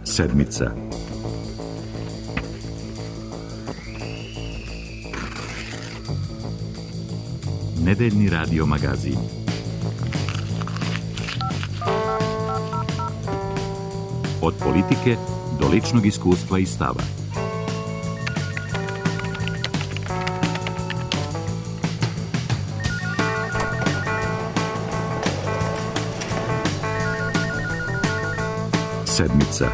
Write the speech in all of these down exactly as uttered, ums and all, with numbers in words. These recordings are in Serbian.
Sedmica. Nedeljni radio magazin. Od politike do ličnog iskustva i stava. Sedmica.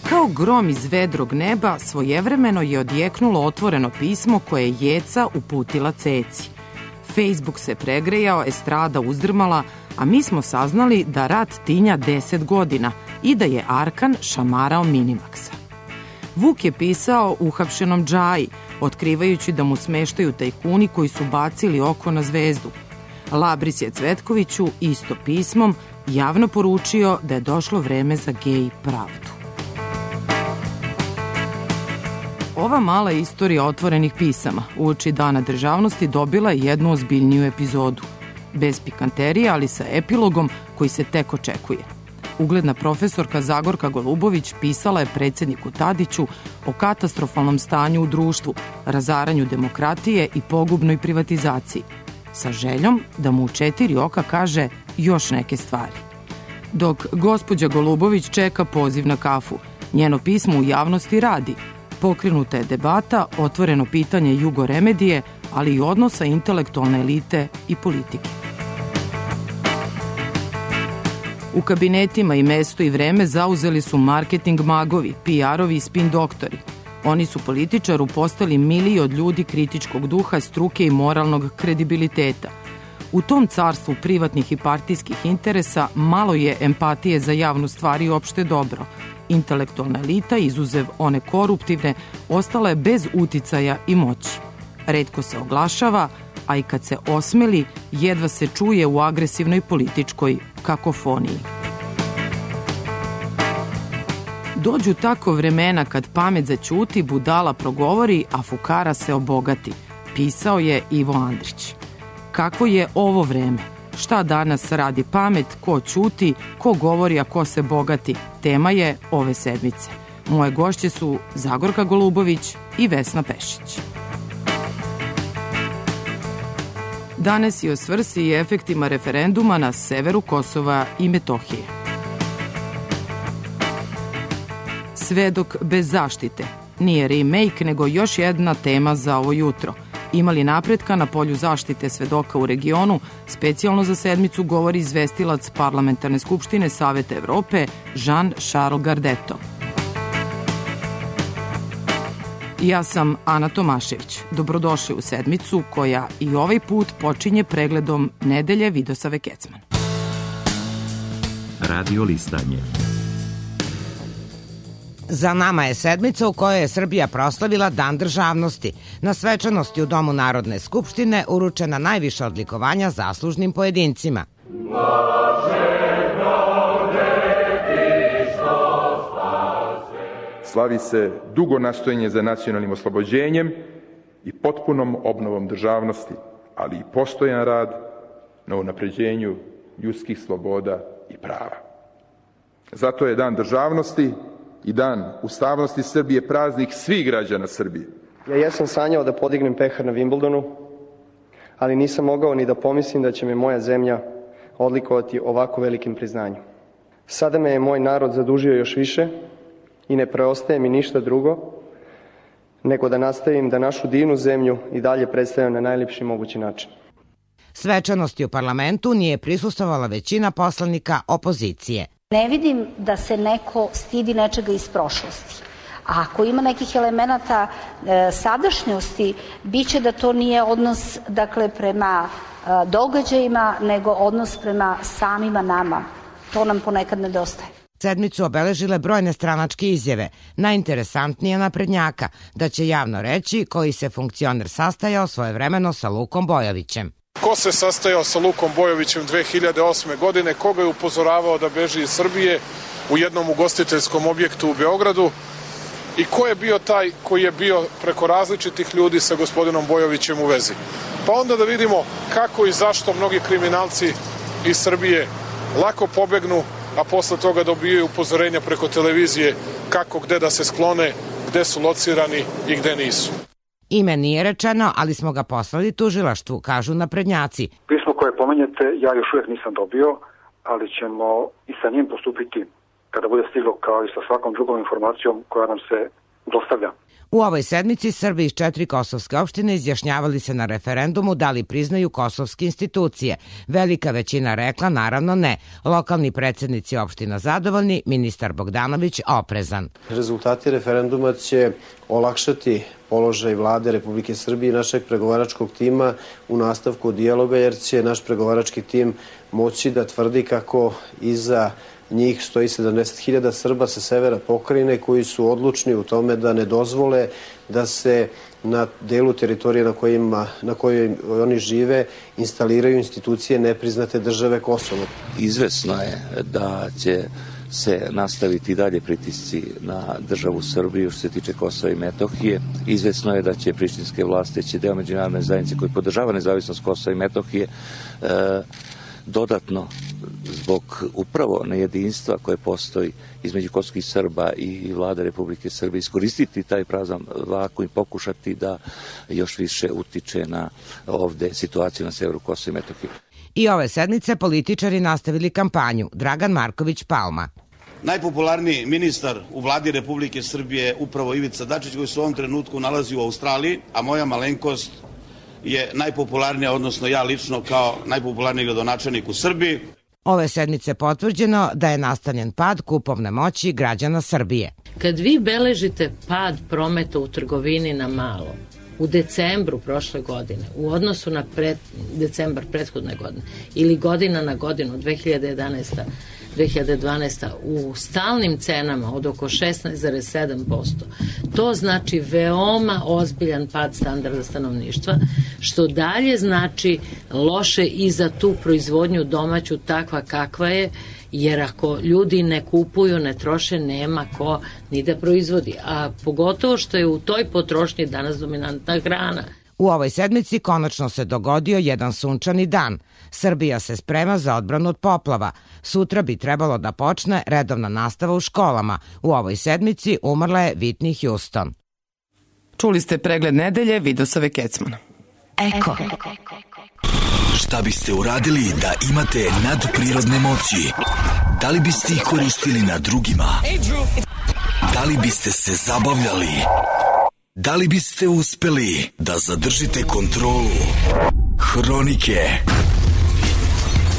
Kao grom iz vedrog neba, svojevremeno je odjeknulo otvoreno pismo koje je Jeca uputila Ceci. Facebook se pregrejao, estrada uzdrmala, a mi smo saznali da rat tinja deset godina i da je Arkan šamarao Minimaksa. Vuk je pisao uhapšenom Džaji, otkrivajući da mu smeštaju tajkuni koji su bacili oko na zvezdu. Labris je Cvetkoviću isto pismom javno poručio da je došlo vreme za gej pravdu. Ova mala istorija otvorenih pisama uoči Dana državnosti dobila je jednu ozbiljniju epizodu. Bez pikanterije, ali sa epilogom koji se tek očekuje. Ugledna profesorka Zagorka Golubović pisala je predsjedniku Tadiću o katastrofalnom stanju u društvu, razaranju demokratije i pogubnoj privatizaciji, sa željom da mu u četiri oka kaže još neke stvari. Dok gospođa Golubović čeka poziv na kafu, njeno pismo u javnosti radi. Pokrenuta je debata, otvoreno pitanje jugoremedije, ali i odnosa intelektualne elite i politike. U kabinetima i mesto i vreme zauzeli su marketing magovi, P R-ovi i spin doktori. Oni su političaru postali miliji od ljudi kritičkog duha, struke i moralnog kredibiliteta. U tom carstvu privatnih i partijskih interesa malo je empatije za javnu stvar i opšte dobro. Intelektualna elita, izuzev one koruptivne, ostala je bez uticaja i moći. Retko se oglašava, a i kad se osmeli, jedva se čuje u agresivnoj političkoj kakofoniji. Dođu tako vremena kad pamet zaćuti, budala progovori, a fukara se obogati, pisao je Ivo Andrić. Kako je ovo vreme? Šta danas radi pamet, ko ćuti, ko govori, a ko se bogati? Tema je ove sedmice. Moje gošće su Zagorka Golubović i Vesna Pešić. Danas je o svrsi i efektima referenduma na severu Kosova i Metohije. Svedok bez zaštite. Nije remake, nego još jedna tema za ovo jutro. Imali napretka na polju zaštite svedoka u regionu, specijalno za sedmicu govori izvestilac Parlamentarne skupštine Saveta Evrope Jean-Charles Gardeto. Ja sam Ana Tomašević. Dobrodošli u sedmicu koja i ovaj put počinje pregledom nedelje Vidosave Kecman. Radio listanje. Za nama je sedmica u kojoj je Srbija proslavila Dan državnosti. Na svečanosti u Domu Narodne skupštine uručena najviša odlikovanja zaslužnim pojedincima. Slavi se dugo nastojanje za nacionalnim oslobođenjem i potpunom obnovom državnosti, ali i postojan rad na unapređenju ljudskih sloboda i prava. Zato je Dan državnosti i Dan ustavnosti Srbije praznik svih građana Srbije. Ja jesam sanjao da podignem pehar na Wimbledonu, ali nisam mogao ni da pomislim da će me moja zemlja odlikovati ovako velikim priznanjem. Sada me je moj narod zadužio još više i ne preostaje mi ništa drugo nego da nastavim da našu divnu zemlju i dalje predstavljam na najljepši mogući način. Svečanosti u parlamentu nije prisustvovala većina poslanika opozicije. Ne vidim da se neko stidi nečega iz prošlosti. A ako ima nekih elemenata e, sadašnjosti, bit će da to nije odnos dakle, prema e, događajima, nego odnos prema samima nama. To nam ponekad nedostaje. Sedmicu obeležile brojne stranačke izjave, najinteresantnije naprednjaka, da će javno reći koji se funkcioner sastajao svojevremeno sa Lukom Bojovićem. Ko se sastajao sa Lukom Bojovićem dve hiljade osme. godine, koga je upozoravao da beži iz Srbije u jednom ugostiteljskom objektu u Beogradu i ko je bio taj koji je bio preko različitih ljudi sa gospodinom Bojovićem u vezi. Pa onda da vidimo kako i zašto mnogi kriminalci iz Srbije lako pobegnu, a posle toga dobijaju upozorenja preko televizije kako gde da se sklone, gde su locirani i gde nisu. Ime nije rečeno, ali smo ga poslali tužilaštvu, kažu naprednjaci. Pismo koje pomenjete ja još uvijek nisam dobio, ali ćemo i sa njim postupiti kada bude stiglo, kao i sa svakom drugom informacijom koja nam se dostavlja. U ovoj sedmici Srbi iz četiri kosovske opštine izjašnjavali se na referendumu da li priznaju kosovske institucije. Velika većina rekla naravno ne. Lokalni predsjednici opština zadovoljni, ministar Bogdanović oprezan. Rezultati referenduma će olakšati položaj vlade Republike Srbije i našeg pregovaračkog tima u nastavku dijaloga, jer će naš pregovarački tim moći da tvrdi kako iza njih stoji sedamdeset hiljada Srba sa severa pokrajine koji su odlučni u tome da ne dozvole da se na delu teritorije na, kojima, na kojoj oni žive instaliraju institucije nepriznate države Kosovo. Izvesno je da će se nastaviti dalje pritisci na državu Srbiju što se tiče Kosova i Metohije. Izvesno je da će prištinske vlasti, će deo međunarodne zajednice koji podržava nezavisnost Kosova i Metohije e, dodatno zbog upravo nejedinstva koje postoji između kosovskih Srba i vlade Republike Srbije iskoristiti taj prazan vakuum i pokušati da još više utiče na ovde situaciju na severu Kosova i Metohije. I ove sedmice političari nastavili kampanju. Dragan Marković Palma. Najpopularniji ministar u vladi Republike Srbije je upravo Ivica Dačić, koji se u ovom trenutku nalazi u Australiji, a moja malenkost je najpopularnija, odnosno ja lično kao najpopularniji gradonačelnik u Srbiji. Ove sedmice potvrđeno da je nastavljen pad kupovne moći građana Srbije. Kad vi beležite pad prometa u trgovini na malo u decembru prošle godine u odnosu na pred, decembar prethodne godine ili godina na godinu dve hiljade jedanaeste dve hiljade dvanaeste u stalnim cenama od oko šesnaest zarez sedam posto, to znači veoma ozbiljan pad standarda stanovništva, što dalje znači loše i za tu proizvodnju domaću takva kakva je, jer ako ljudi ne kupuju, ne troše, nema ko ni da proizvodi, a pogotovo što je u toj potrošnji danas dominantna hrana. U ovoj sedmici konačno se dogodio jedan sunčani dan. Srbija se sprema za odbranu od poplava. Sutra bi trebalo da počne redovna nastava u školama. U ovoj sedmici umrla je Whitney Houston. Čuli ste pregled nedelje Vidosave Kecmana. Eko. Šta biste uradili da imate nadprirodne moći? Da li biste ih koristili na drugima? Da li biste se zabavljali? Da li biste uspeli da zadržite kontrolu? Hronike.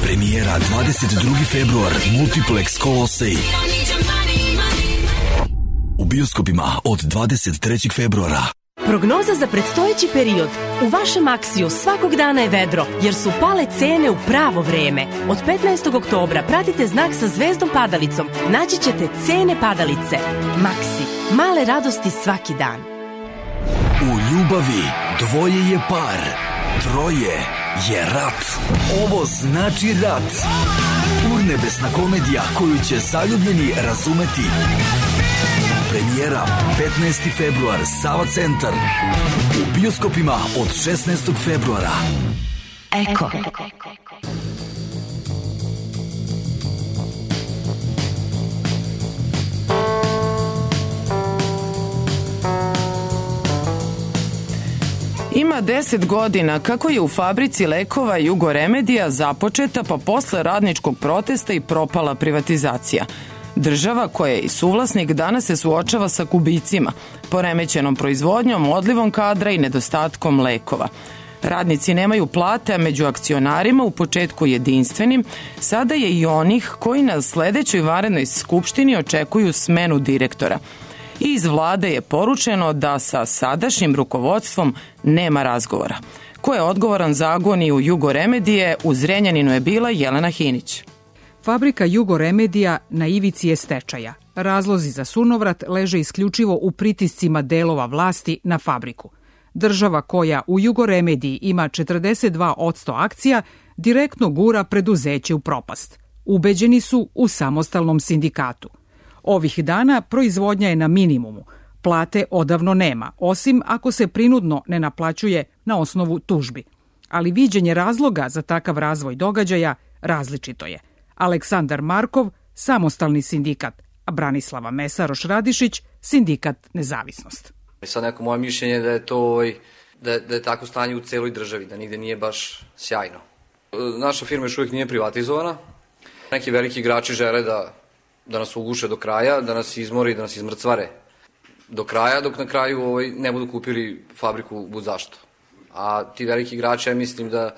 Premijera dvadeset drugi februar, Multiplex Kolosej. U bioskopima od dvadeset trećeg februara. Prognoza za predstojeći period. U vašem Aksiju svakog dana je vedro, jer su pale cene u pravo vreme. Od petnaestog oktobra pratite znak sa zvezdom padalicom. Naći ćete cene padalice. Maksi. Male radosti svaki dan. U ljubavi dvoje je par, troje je rat. Ovo znači rat. Urnebesna komedija koju će zaljubljeni razumeti. Premijera petnaesti februar, Sava centar. U bioskopima od šesnaestog februara. Eko. Ima deset godina kako je u fabrici lekova Jugoremedija započeta pa posle radničkog protesta i propala privatizacija. Država koja je i suvlasnik danas se suočava sa gubicima, poremećenom proizvodnjom, odlivom kadra i nedostatkom lekova. Radnici nemaju plate, a među akcionarima u početku jedinstvenim, sada je i onih koji na sledećoj vanrednoj skupštini očekuju smenu direktora. I iz vlade je poručeno da sa sadašnjim rukovodstvom nema razgovora. Ko je odgovoran za agoniju Jugoremedije, u Zrenjaninu je bila Jelena Hinić. Fabrika Jugoremedija na ivici je stečaja. Razlozi za sunovrat leže isključivo u pritiscima delova vlasti na fabriku. Država koja u Jugoremediji ima četrdeset dva posto akcija direktno gura preduzeće u propast. Ubeđeni su u samostalnom sindikatu. Ovih dana proizvodnja je na minimumu. Plate odavno nema, osim ako se prinudno ne naplaćuje na osnovu tužbi. Ali viđenje razloga za takav razvoj događaja različito je. Aleksandar Markov, samostalni sindikat, a Branislava Mesaroš-Radišić, sindikat Nezavisnost. Sad neko moje mišljenje je da je to da je, da je tako stanje u celoj državi, da nigde nije baš sjajno. Naša firma još uvijek nije privatizovana. Neki veliki igrači žele da, da nas uguše do kraja, da nas izmore i da nas izmrcvare do kraja, dok na kraju ovaj, ne budu kupili fabriku bud zašto. A ti veliki igrači, ja mislim da,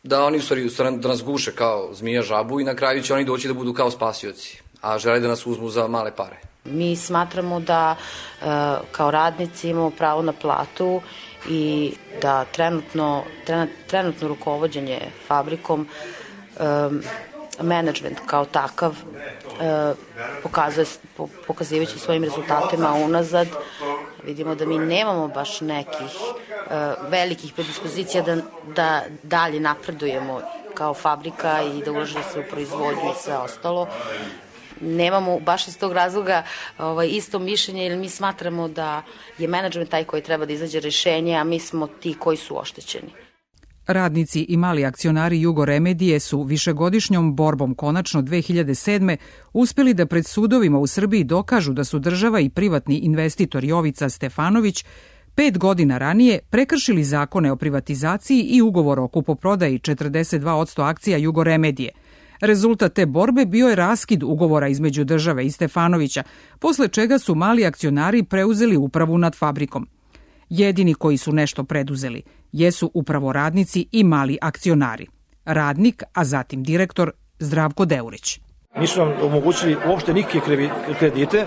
da oni u stvari, u stvari da nas guše kao zmija žabu i na kraju će oni doći da budu kao spasioci, a žele da nas uzmu za male pare. Mi smatramo da e, kao radnici imamo pravo na platu i da trenutno, trenutno rukovođenje fabrikom, e, menadžment kao takav, e, pokazuje, po, pokazivajući svojim rezultatima unazad, vidimo da mi nemamo baš nekih e, velikih predispozicija da, da dalje napredujemo kao fabrika i da ulaže se u proizvodnju i sve ostalo. Nemamo baš iz tog razloga ovaj, isto mišljenje, jer mi smatramo da je menadžment taj koji treba da izađe rešenje, a mi smo ti koji su oštećeni. Radnici i mali akcionari Jugoremedije su višegodišnjom borbom konačno dve hiljade sedme uspeli da pred sudovima u Srbiji dokažu da su država i privatni investitor Jovica Stefanović pet godina ranije prekršili zakone o privatizaciji i ugovor o kupoprodaji četrdeset dva posto akcija Jugoremedije. Rezultat te borbe bio je raskid ugovora između države i Stefanovića, posle čega su mali akcionari preuzeli upravu nad fabrikom. Jedini koji su nešto preduzeli jesu upravo radnici i mali akcionari. Radnik, a zatim direktor Zdravko Deurić. Nisu nam omogućili uopšte nikakve kredite,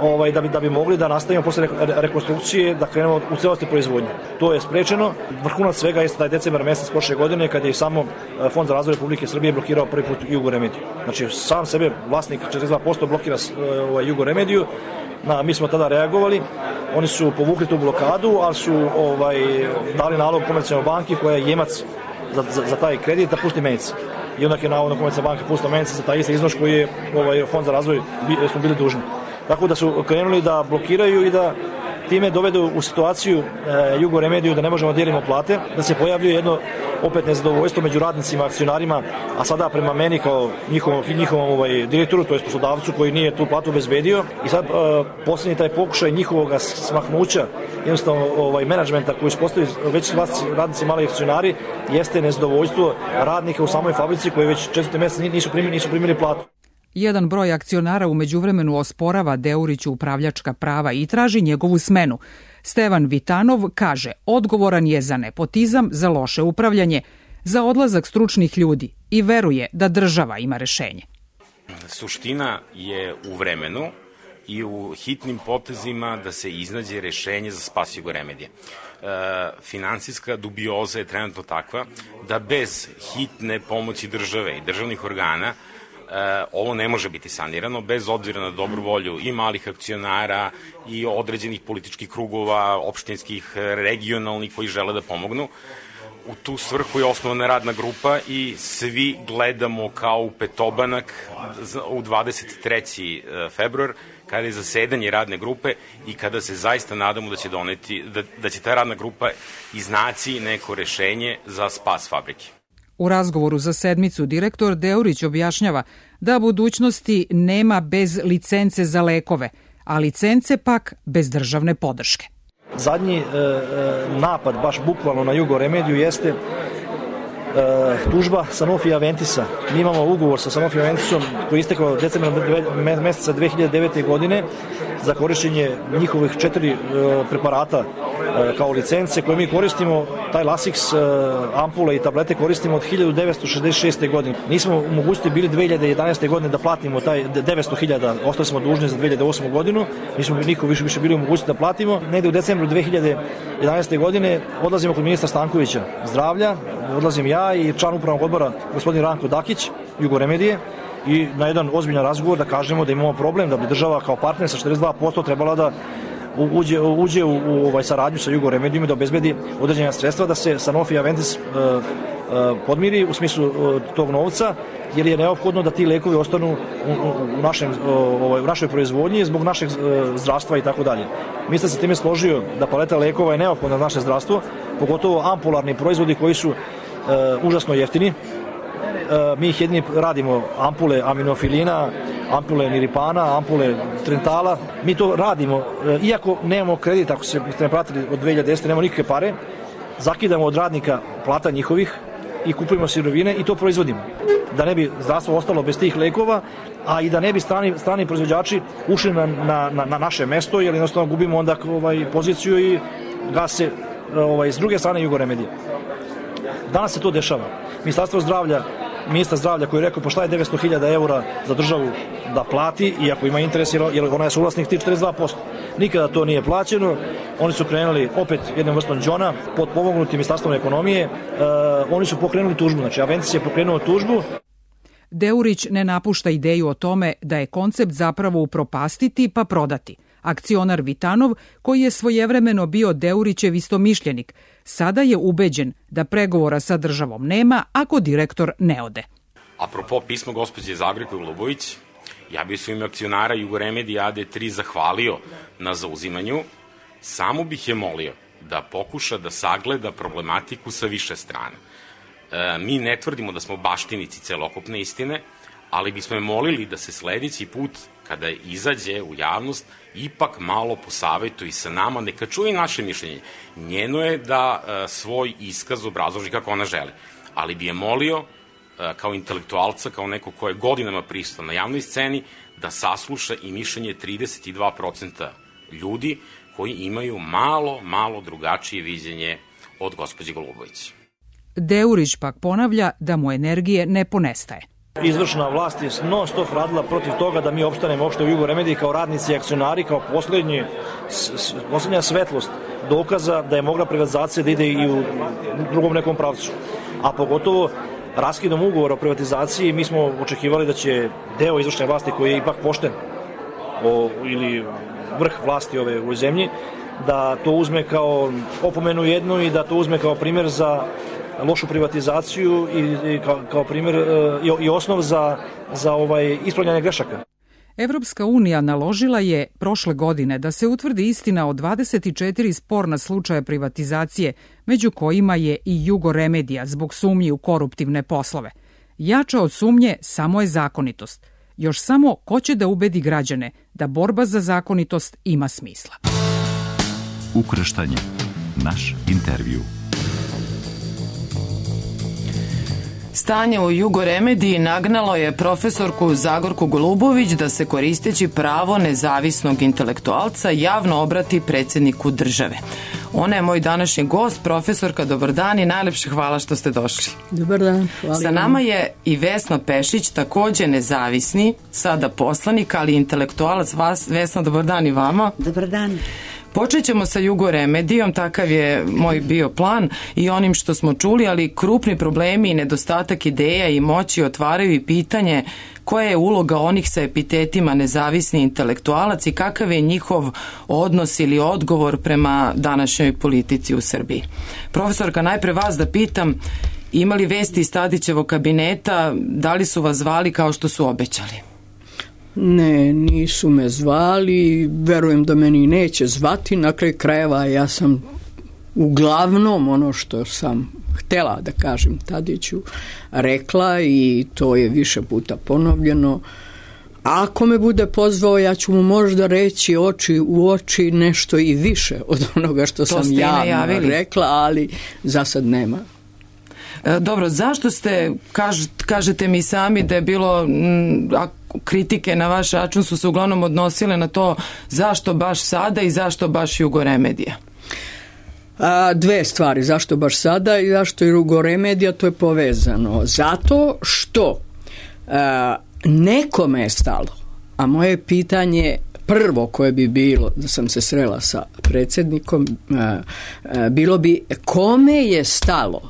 ovaj, da bi, da bi mogli da nastavimo posle rekonstrukcije, da krenemo u celosti proizvodnju. To je sprečeno. Vrhunac svega jeste taj decembar mesec prošle godine, kada je samo Fond za razvoj Republike Srbije blokirao prvi put Jugoremediju. Znači, sam sebe vlasnik četrdeset dva posto blokira ovaj, Jugoremediju. Na, mi smo tada reagovali, oni su povukli tu blokadu, ali su ovaj, dali nalog Komercijalnoj banki koja je jemac za, za, za taj kredit da pusti menice. I onda je navodno Komercijalna banka pustila menice za taj isti iznos koji je ovaj, Fond za razvoj smo bili dužni. Tako da su krenuli da blokiraju i da time dovedu u situaciju e, Jugoremediju da ne možemo da dijelimo plate, da se pojavljuje jedno opet nezadovoljstvo među radnicima, akcionarima, a sada prema meni kao njihovom, njihovom ovaj, direktoru, to je poslodavcu koji nije tu platu obezbedio. I sad e, posljednji taj pokušaj njihovog smaknuća, jednostavno ovaj, menadžmenta koji su postali već radnici, mali akcionari, jeste nezadovoljstvo radnika u samoj fabrici koji već četvrti mesec nisu primili, nisu primili platu. Jedan broj akcionara u međuvremenu osporava Deuriću upravljačka prava i traži njegovu smenu. Stevan Vitanov kaže, odgovoran je za nepotizam, za loše upravljanje, za odlazak stručnih ljudi i veruje da država ima rešenje. Suština je u vremenu i u hitnim potezima da se iznađe rešenje za spas Jugoremedije. E, finansijska dubioza je trenutno takva da bez hitne pomoći države i državnih organa E, ovo ne može biti sanirano bez obzira na dobru volju i malih akcionara i određenih političkih krugova, opštinskih, regionalnih koji žele da pomognu. U tu svrhu je osnovana radna grupa i svi gledamo kao u petobanak u dvadeset treći februar kada je zasedanje radne grupe i kada se zaista nadamo da će doneti, da, da će ta radna grupa iznaći neko rešenje za spas fabrike. U razgovoru za sedmicu direktor Deurić objašnjava da budućnosti nema bez licence za lekove, a licence pak bez državne podrške. Zadnji e, napad, baš bukvalno na Jugoremediju, jeste e, tužba Sanofi Aventisa. Mi imamo ugovor sa Sanofi Aventisom koji je istekao decembra meseca dve hiljade devete. godine za korišćenje njihovih četiri e, preparata e, kao licence koje mi koristimo. Taj Lasix, e, ampule i tablete koristimo od hiljadu devetsto šezdeset šeste. godine. Nismo u mogućnosti bili dve hiljade jedanaeste. godine da platimo taj devetsto hiljada, ostali smo dužni za dve hiljade osmu. godinu. Nismo niko više, više bili u mogućnosti da platimo. Negde u decembru dve hiljade jedanaeste. godine odlazimo kod ministra Stankovića zdravlja, odlazim ja i član upravnog odbora gospodin Ranko Dakić, Jugoremedije, i na jedan ozbiljan razgovor da kažemo da imamo problem, da bi država kao partner sa četrdeset dva posto trebala da uđe, uđe u, u ovaj saradnju sa Jugoremedijom i da obezbedi određena sredstva da se Sanofi Aventis uh, podmiri u smislu tog novca, jer je neophodno da ti lekovi ostanu u, u, našem, u našoj proizvodnji zbog našeg zdravstva i tako dalje. Mislim se time složio da paleta lekova je neophodna za naše zdravstvo, pogotovo ampularni proizvodi koji su uh, užasno jeftini. Uh, mi ih jedini radimo ampule aminofilina, ampule niripana, ampule trentala. Mi to radimo, uh, iako nemamo kredit, ako se ne pratili od dve hiljade desete, nemamo nikakve pare, zakidamo od radnika plata njihovih i kupujemo sirovine i to proizvodimo. Da ne bi zdravstvo ostalo bez tih lekova, a i da ne bi strani, strani proizvođači ušli na, na, na naše mesto, jer jednostavno gubimo onda ovaj, poziciju i gase ovaj, s druge strane Jugoremedije. Danas se to dešava. Ministarstvo zdravlja, ministar zdravlja koji je rekao pa šta je devetsto hiljada eura za državu da plati, iako ima interes, jer ona je suvlasnik tih četrdeset dva posto. Nikada to nije plaćeno. Oni su krenuli opet jednom vrstom džona pod pomognutim ministarstvom ekonomije. Uh, oni su pokrenuli tužbu, znači Aventis je pokrenuo tužbu. Deurić ne napušta ideju o tome da je koncept zapravo upropastiti pa prodati. Akcionar Vitanov, koji je svojevremeno bio Deurićev istomišljenik, sada je ubeđen da pregovora sa državom nema ako direktor ne ode. Apropo pisma gospođe Zagorke Golubović, ja bih su ime akcionara Jugoremedije A D tri zahvalio na zauzimanju, samo bih je molio da pokuša da sagleda problematiku sa više strana. E, mi ne tvrdimo da smo baštinici celokupne istine, ali bismo je molili da se sledeći put, kada izađe u javnost, ipak malo posavetuje sa nama, neka čuje naše mišljenje. Njeno je da e, svoj iskaz obrazloži kako ona želi, ali bi je molio e, kao intelektualca, kao neko ko je godinama prisutan na javnoj sceni, da sasluša i mišljenje trideset dva procenta ljudi koji imaju malo, malo drugačije viđenje od gospođe Golubović. Deurić pak ponavlja da mu energije ne ponestaje. Izvršna vlast je non stop radila protiv toga da mi opstanemo uopšte u Jugoremediji kao radnici i akcionari, kao poslednji, poslednja svetlost dokaza da je mogla privatizacija da ide i u drugom nekom pravcu. A pogotovo raskidom ugovora o privatizaciji mi smo očekivali da će deo izvršne vlasti koji je ipak pošten o, ili vrh vlasti ove u zemlji, da to uzme kao opomenu jednu i da to uzme kao primjer za lošu privatizaciju i, i kao, kao primjer i, i osnov za, za ovaj ispravljanje grešaka. Evropska unija naložila je prošle godine da se utvrdi istina o dvadeset četiri sporna slučaja privatizacije, među kojima je i Jugoremedija zbog sumnji u koruptivne poslove. Jača od sumnje samo je zakonitost. Još samo ko će da ubedi građane da borba za zakonitost ima smisla. Ukrštanje. Naš intervju. Stanje u Jugoremediji nagnalo je profesorku Zagorku Golubović da se koristeći pravo nezavisnog intelektualca javno obrati predsjedniku države. Ona je moj današnji gost, profesorka, dobar dan i najlepše hvala što ste došli. Dobar dan, hvala. Sa nama je i Vesna Pešić, takođe nezavisni, sada poslanik, ali intelektualac. Vas, Vesna, dobar dan i vama. Dobar dan. Počet ćemo sa Jugoremedijom, takav je moj bio plan i onim što smo čuli, ali krupni problemi i nedostatak ideja i moći otvaraju i pitanje koja je uloga onih sa epitetima nezavisni intelektualac i kakav je njihov odnos ili odgovor prema današnjoj politici u Srbiji. Profesorka, najpre vas da pitam, imali vesti iz Tadićevog kabineta, da li su vas zvali kao što su obećali? Ne, nisu me zvali, verujem da meni neće zvati, na kraju krajeva ja sam uglavnom ono što sam htela da kažem Tadiću rekla i to je više puta ponovljeno. Ako me bude pozvao, ja ću mu možda reći oči u oči nešto i više od onoga što sam javno rekla, ali za sad nema. Dobro, zašto ste, kaž, kažete mi sami da je bilo m, kritike na vaš račun su se uglavnom odnosile na to zašto baš sada i zašto baš Jugoremedija? A, dve stvari, zašto baš sada i zašto je Jugoremedija, to je povezano. Zato što a, nekome je stalo, a moje pitanje prvo koje bi bilo da sam se srela sa predsjednikom, a, a, bilo bi kome je stalo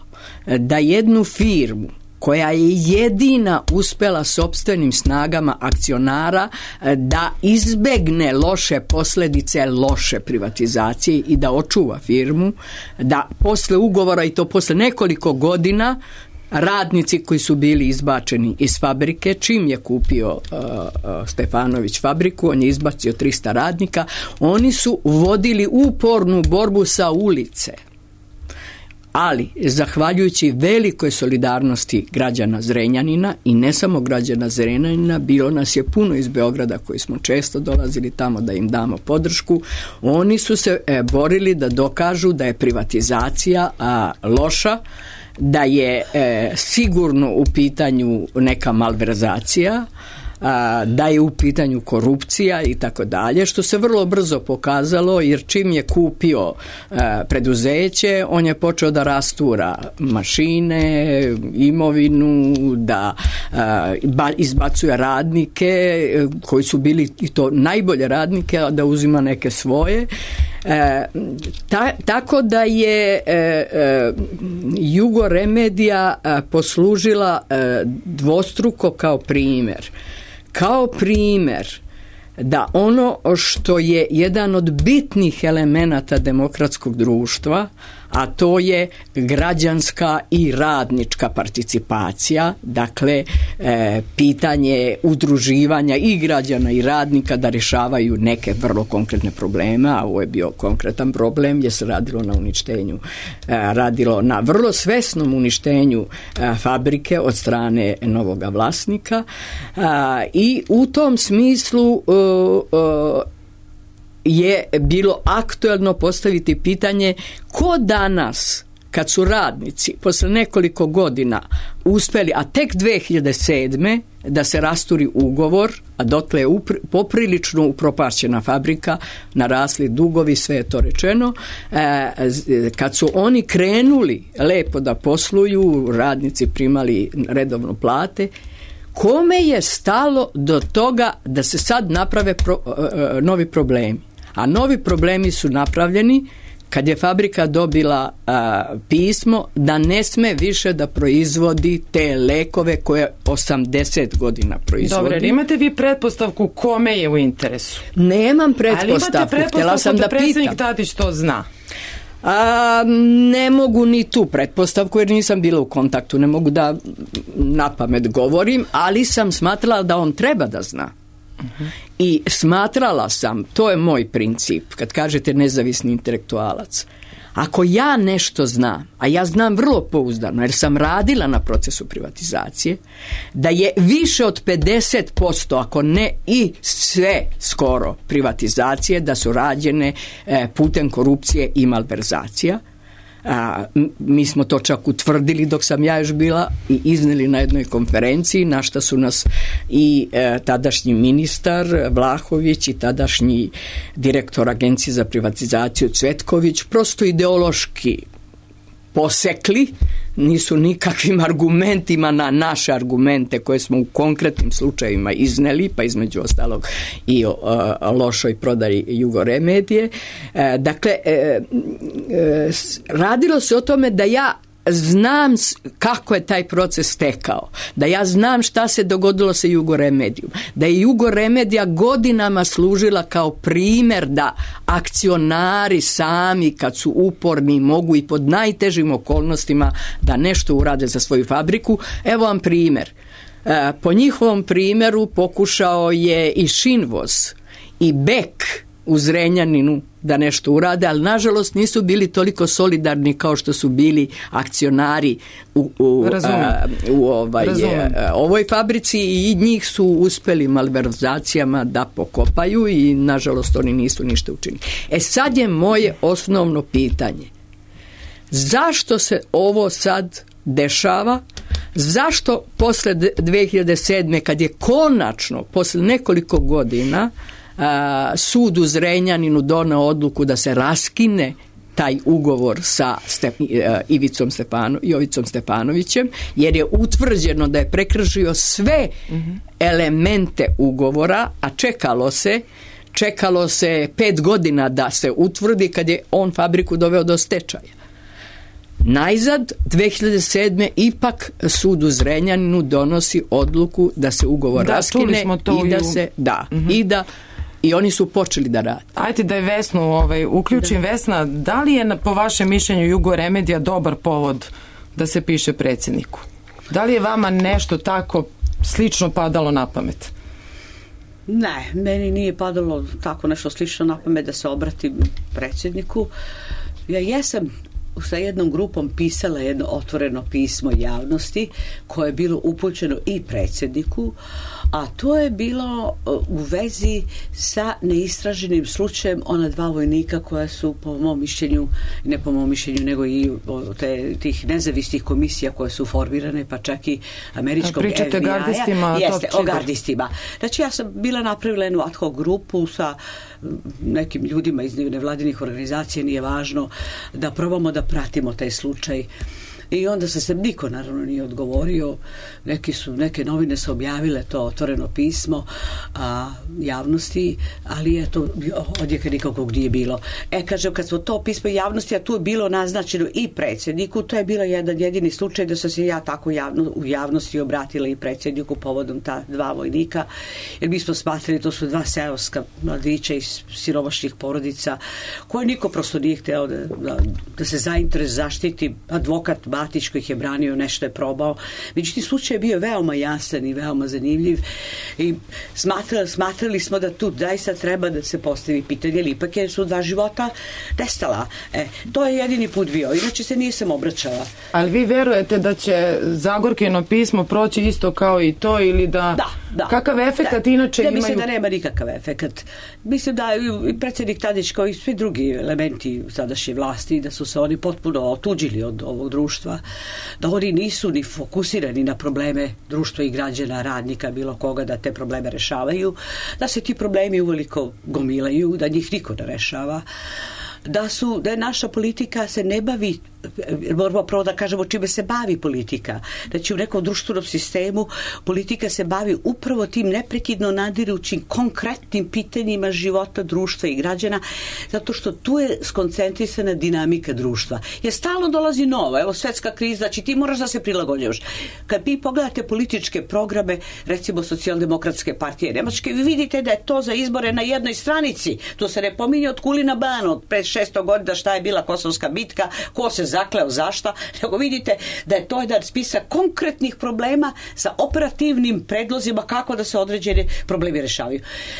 da jednu firmu koja je jedina uspela sopstvenim snagama akcionara da izbegne loše posljedice loše privatizacije i da očuva firmu, da posle ugovora i to posle nekoliko godina radnici koji su bili izbačeni iz fabrike, čim je kupio uh, uh, Stefanović fabriku, on je izbacio trista radnika, oni su vodili upornu borbu sa ulice. Ali, zahvaljujući velikoj solidarnosti građana Zrenjanina i ne samo građana Zrenjanina, bilo nas je puno iz Beograda koji smo često dolazili tamo da im damo podršku, oni su se e, borili da dokažu da je privatizacija a, loša, da je e, sigurno u pitanju neka malverzacija, a, da je u pitanju korupcija i tako dalje, što se vrlo brzo pokazalo, jer čim je kupio a, preduzeće, on je počeo da rastura mašine, imovinu, da a, ba, izbacuje radnike koji su bili i to najbolje radnike, a da uzima neke svoje. E, ta, tako da je e, e, Jugoremedija e, poslužila e, dvostruko kao primjer. Kao primjer da ono što je jedan od bitnih elemenata demokratskog društva, a to je građanska i radnička participacija, dakle e, pitanje udruživanja i građana i radnika da rješavaju neke vrlo konkretne probleme, a ovo je bio konkretan problem gdje se radilo na uništenju, e, radilo na vrlo svesnom uništenju e, fabrike od strane novoga vlasnika, e, i u tom smislu e, e, je bilo aktuelno postaviti pitanje ko danas, kad su radnici posle nekoliko godina uspeli, a tek dve hiljade sedme da se rasturi ugovor, a dotle je upri, poprilično upropašćena fabrika, narasli dugovi, sve je to rečeno, e, kad su oni krenuli lepo da posluju, radnici primali redovno plate, kome je stalo do toga da se sad naprave pro, e, novi problemi? A novi problemi su napravljeni kad je fabrika dobila a, pismo da ne sme više da proizvodi te lekove koje osamdeset godina proizvodi. Dobro, imate vi pretpostavku kome je u interesu? Nemam pretpostavku. Ali imate pretpostavku sam da, da predsjednik pitam. Tadić to zna? A, ne mogu ni tu pretpostavku jer nisam bila u kontaktu, ne mogu da napamet govorim, ali sam smatrala da on treba da zna. Uh-huh. I smatrala sam, to je moj princip, kad kažete nezavisni intelektualac, ako ja nešto znam, a ja znam vrlo pouzdano jer sam radila na procesu privatizacije, da je više od pedeset posto, ako ne i sve skoro privatizacije, da su rađene e, putem korupcije i malverzacija. A, mi smo to čak utvrdili dok sam ja još bila i izneli na jednoj konferenciji, na šta su nas i e, tadašnji ministar Vlahović i tadašnji direktor Agencije za privatizaciju Cvetković prosto ideološki posekli, nisu nikakvim argumentima na naše argumente koje smo u konkretnim slučajevima izneli, pa između ostalog i o, o lošoj prodaji Jugoremedije. E, dakle, e, e, radilo se o tome da ja znam kako je taj proces tekao, da ja znam šta se dogodilo sa Jugoremedijom, da je Jugoremedija godinama služila kao primjer da akcionari sami kad su uporni mogu i pod najtežim okolnostima da nešto urade za svoju fabriku. Evo vam primjer. Po njihovom primjeru pokušao je i Šinvoz i Bek u Zrenjaninu da nešto urade, ali nažalost nisu bili toliko solidarni kao što su bili akcionari u, u, a, u ovaj, a, ovoj fabrici i njih su uspeli malverzacijama da pokopaju i nažalost oni nisu ništa učinili. E sad je moje osnovno pitanje. Zašto se ovo sad dešava? Zašto posle dve hiljade sedme kad je konačno posle nekoliko godina a, sud u Zrenjaninu doneo odluku da se raskine taj ugovor sa Step, Ivicom Stepano, Jovicom Stepanovićem, jer je utvrđeno da je prekršio sve mm-hmm. elemente ugovora, a čekalo se čekalo se pet godina da se utvrdi kad je on fabriku doveo do stečaja. Najzad, dve hiljade sedme ipak sud u Zrenjaninu donosi odluku da se ugovor da, raskine i da se da mm-hmm. i da i oni su počeli da rade. Ajde da je Vesnu ovaj, uključim. Da. Vesna, da li je po vašem mišljenju Jugoremedija dobar povod da se piše predsjedniku? Da li je vama nešto tako slično padalo na pamet? Ne, meni nije padalo tako nešto slično na pamet da se obratim predsjedniku. Ja jesam sa jednom grupom pisala jedno otvoreno pismo javnosti koje je bilo upućeno i predsjedniku, a to je bilo u vezi sa neistraženim slučajem ona dva vojnika koja su po mom mišljenju, ne po mom mišljenju, nego i te, tih nezavisnih komisija koje su formirane, pa čak i američkog F B I-a. Pričate gardistima? Jeste, o gardistima. Znači ja sam bila napravila jednu ad hoc grupu sa nekim ljudima iz nevladinih organizacija, nije važno, da probamo da pratimo taj slučaj. I onda se se niko naravno nije odgovorio. Neki su, neke novine su objavile to otvoreno pismo a, javnosti, ali je to odjeka nikakvog nije bilo. E, kažem, kad smo to pismo javnosti, a tu je bilo naznačeno i predsjedniku, to je bilo jedan jedini slučaj da sam se ja tako javno, u javnosti obratila i predsjedniku povodom ta dva vojnika, jer mi smo smatrali to su dva seoska mladića iz siromašnih porodica koje niko prosto nije hteo da, da, da se zainteres zaštiti. Advokat Batić koji ih je branio, nešto je probao. Međutim, slučaj je bio veoma jasan i veoma zanimljiv i smatrali, smatrali smo da tu zaista treba da se postavi pitanje, ali ipak je su dva života nestala. E, to je jedini put bio, inače se nisam obraćala. Ali vi verujete da će Zagorkino pismo proći isto kao i to ili da... Da, da. Kakav efekat da, inače ja imaju? Mislim da nema nikakav efekat. Mislim da i predsjednik Tadić kao i svi drugi elementi sadašnje vlasti, da su se oni potpuno otuđili od ovog društva, da oni nisu ni fokusirani na probleme društva i građana, radnika, bilo koga, da te probleme rešavaju, da se ti problemi uveliko gomilaju, da njih niko ne rešava, da su, da je naša politika se ne bavi, moramo prvo da kažemo čime se bavi politika. Znači u nekom društvenom sistemu politika se bavi upravo tim neprekidno nadirućim konkretnim pitanjima života društva i građana, zato što tu je skoncentrisana dinamika društva. Jer stalno dolazi nova, evo svetska kriza, znači ti moraš da se prilagođavaš. Kad vi pogledate političke programe, recimo Socijaldemokratske partije Nemačke, vi vidite da je to za izbore na jednoj stranici. To se ne pominje od Kulina Bana, od pre šesto godina šta je bila Kosovska bitka, ko se zakleo zašta, nego vidite da je to jedan spisak konkretnih problema sa operativnim predlozima kako da se određene problemi rešavaju.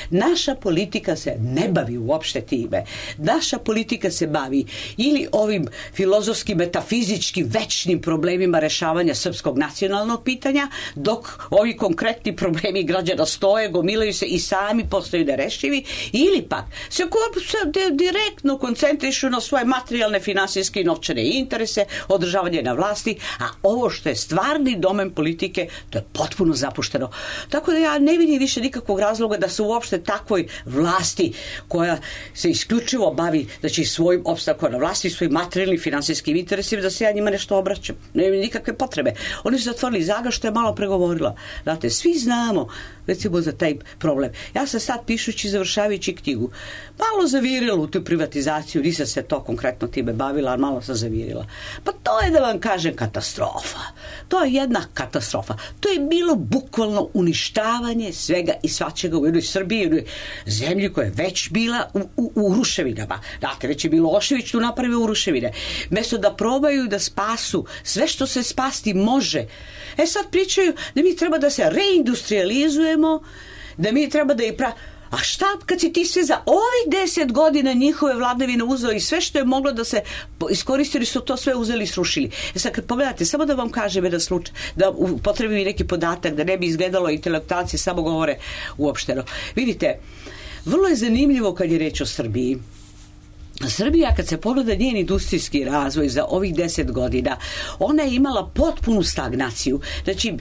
Naša politika se ne bavi uopšte time. Naša politika se bavi ili ovim filozofskim, metafizičkim, večnim problemima rešavanja srpskog nacionalnog pitanja, dok ovi konkretni problemi građana stoje, gomilaju se i sami postaju nerešivi, ili pak se direktno koncentrišu na svoje materijalne, finansijske i novčane interese, održavanje na vlasti, a ovo što je stvarni domen politike, to je potpuno zapušteno. Tako da ja ne vidim više nikakvog razloga da se uopšte takvoj vlasti koja se isključivo bavi, znači svojim opstankom na vlasti, svojim materijalnim finansijskim interesima, da se ja njima nešto obraćam. Ne vidim nikakve potrebe. Oni su zatvorili Zaga, što je malo pregovorila. Znate, svi znamo recimo za taj problem. Ja sam sad pišući, završavajući knjigu, malo zavirila u tu privatizaciju, nisam se to konkretno time bavila, ali malo sam zavirila. Pa to je, da vam kažem, katastrofa. To je jedna katastrofa. To je bilo bukvalno uništavanje svega i svačega u jednoj Srbiji, u jednoj zemlji koja je već bila u, u, u ruševinama. Znate, već je Milošević tu napravio u ruševine. Mesto da probaju da spasu sve što se spasti može. E sad pričaju da mi treba da se reindustrializujemo, da mi treba da i pra... A šta kad si ti sve za ovih deset godina njihove vladavine uzeo i sve što je moglo da se iskoristili su to sve uzeli i srušili. E sad kad pogledate, samo da vam kažem jedan slučaj, da upotrebim i neki podatak, da ne bi izgledalo intelektualci samo govore uopšteno. Vidite, vrlo je zanimljivo kad je reč o Srbiji. Srbija, kad se pogleda njen industrijski razvoj za ovih deset godina, ona je imala potpunu stagnaciju. Znači,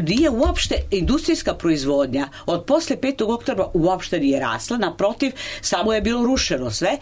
nije uopšte industrijska proizvodnja od posle petog oktobra uopšte nije rasla, naprotiv, samo je bilo rušeno sve,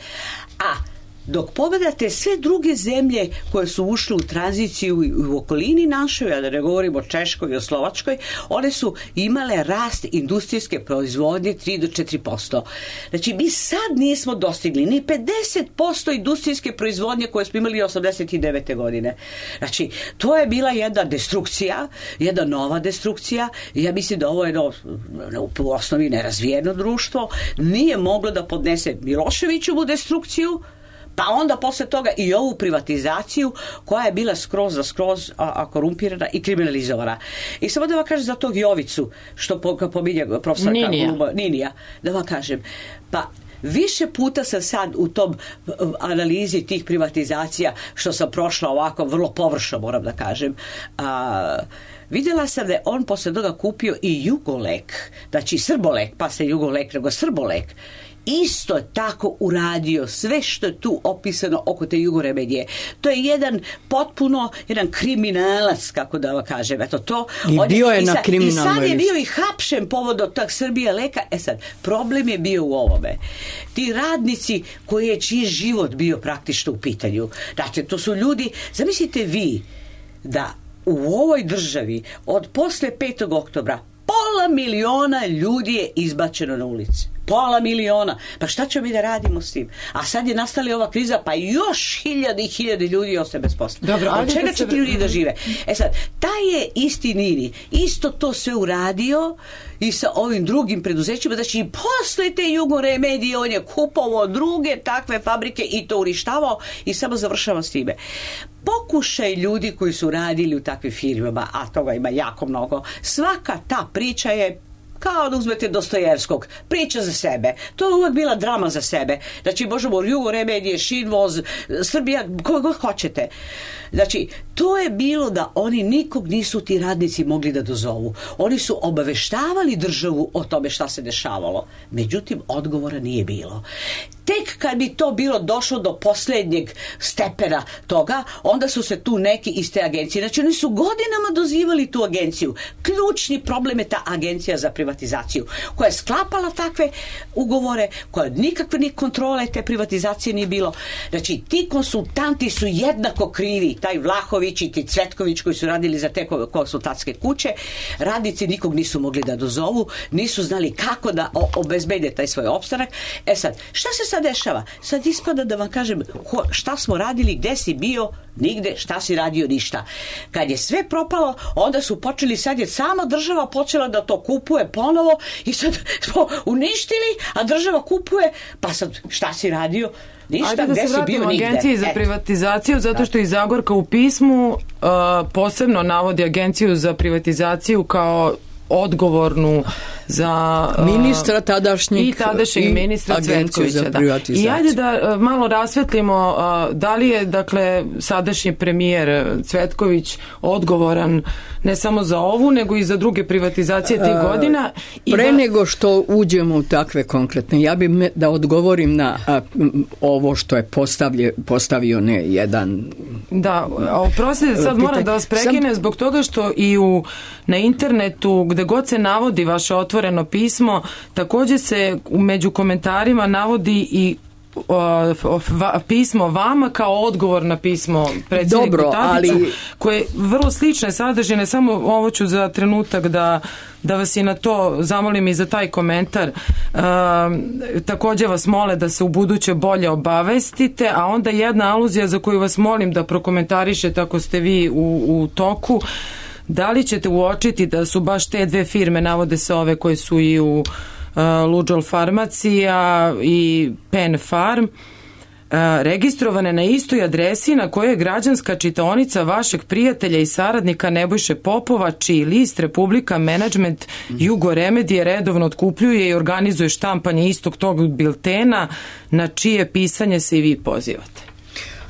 a dok pogledate sve druge zemlje koje su ušle u tranziciju u okolini našoj, a da ne govorimo o Češkoj i o Slovačkoj, one su imale rast industrijske proizvodnje tri do četiri posto. Znači, mi sad nismo dostigli ni pedeset posto industrijske proizvodnje koje smo imali osamdeset devete godine. Znači, to je bila jedna destrukcija, jedna nova destrukcija. Ja mislim da ovo je jedno, u osnovi nerazvijeno društvo, nije moglo da podnese Miloševićevu destrukciju, Pa onda posle toga i ovu privatizaciju koja je bila skroz za skroz a, a korumpirana i kriminalizovana. I samo da vam kažem za tog Jovicu, što po, pominje profesor Ninija. Ninija, Ninija, da vam kažem, pa više puta sam sad u tom analizi tih privatizacija, što sam prošla ovako vrlo površno, moram da kažem, a, vidjela sam da je on posle toga kupio i Jugolek, znači Srbolek, pa se Jugolek, nego Srbolek, isto tako uradio sve što je tu opisano oko te Jugoremedije. To je jedan potpuno jedan kriminalac, kako da vam kažem. Eto to. I on bio je i na sad, kriminalnoj I sad je listi. bio i hapšen povodom tog Srbije leka. E sad, problem je bio u ovome. Ti radnici koji je čiji život bio praktično u pitanju. Znači, to su ljudi, zamislite vi da u ovoj državi od posle petog oktobra pola miliona ljudi je izbačeno na ulici. Pola miliona. Pa šta ćemo mi da radimo s tim? A sad je nastala ova kriza, pa još hiljade i hiljade ljudi ostaje bez posla. Dobro, od čega da će se... ti ljudi da žive? E sad, taj je isti Nini isto to sve uradio i sa ovim drugim preduzećima, znači i posle te Jugoremedije on je kupovao druge takve fabrike i to uništavao i samo završava s time. Pokušaj ljudi koji su radili u takvim firmama, a toga ima jako mnogo, svaka ta priča je kao da uzmete Dostojevskog, priča za sebe. To je uvek bila drama za sebe. Znači, možemo Jugoremedije, Šinvoz, Srbija, koga god hoćete. Znači, to je bilo da oni nikog nisu ti radnici mogli da dozovu. Oni su obaveštavali državu o tome šta se dešavalo. Međutim, odgovora nije bilo. Tek kad bi to bilo došlo do posljednjeg stepena toga, onda su se tu neki iz te agencije, znači oni su godinama dozivali tu agenciju. Ključni problem je ta agencija za privatizaciju, koja je sklapala takve ugovore, koja nikakve ni kontrole te privatizacije nije bilo. Znači, ti konsultanti su jednako krivi, taj Vlahović i ti Cvetković koji su radili za te konsultantske kuće, radnici nikog nisu mogli da dozovu, nisu znali kako da obezbede taj svoj opstanak. E sad, šta se sad dešava? Sad ispada da vam kažem šta smo radili, gde si bio, nigde, šta si radio, ništa. Kad je sve propalo, onda su počeli, sad je sama država počela da to kupuje ponovo i sad smo uništili, a država kupuje, pa sad šta si radio? Ništa. Ajde da se vratimo agenciji za Eto. privatizaciju, zato što i Zagorka u pismu uh, posebno navodi agenciju za privatizaciju kao odgovornu za uh, ministra tadašnjeg i tadašnjeg ministra Cvetkovića. Da. I ajde da uh, malo rasvetlimo uh, da li je dakle sadašnji premijer Cvetković odgovoran ne samo za ovu nego i za druge privatizacije tih godina. I Pre da... nego što uđemo u takve konkretne, ja bih me, da odgovorim na a, ovo što je postavlje, postavio ne jedan... Da, oprostite, sad moram da vas prekinem Sam... zbog toga što i u, na internetu gde god se navodi vaše otvoreno pismo, također se među komentarima navodi i o, o, va, pismo vama kao odgovor na pismo predsjedniku Dobro, Tadiću, ali... koje je vrlo slične sadržine, samo ovo ću za trenutak da, da vas i na to zamolim i za taj komentar. E, također vas mole da se u buduće bolje obavestite, a onda jedna aluzija za koju vas molim da prokomentarišete ako ste vi u, u toku. Da li ćete uočiti da su baš te dve firme, navode se ove koje su i u uh, Luđol Farmacija i Pen Farm, uh, registrovane na istoj adresi na kojoj je građanska čitaonica vašeg prijatelja i saradnika Nebojše Popova, čiji list Republika Management Jugoremedije redovno otkupljuje i organizuje štampanje istog tog biltena, na čije pisanje se i vi pozivate?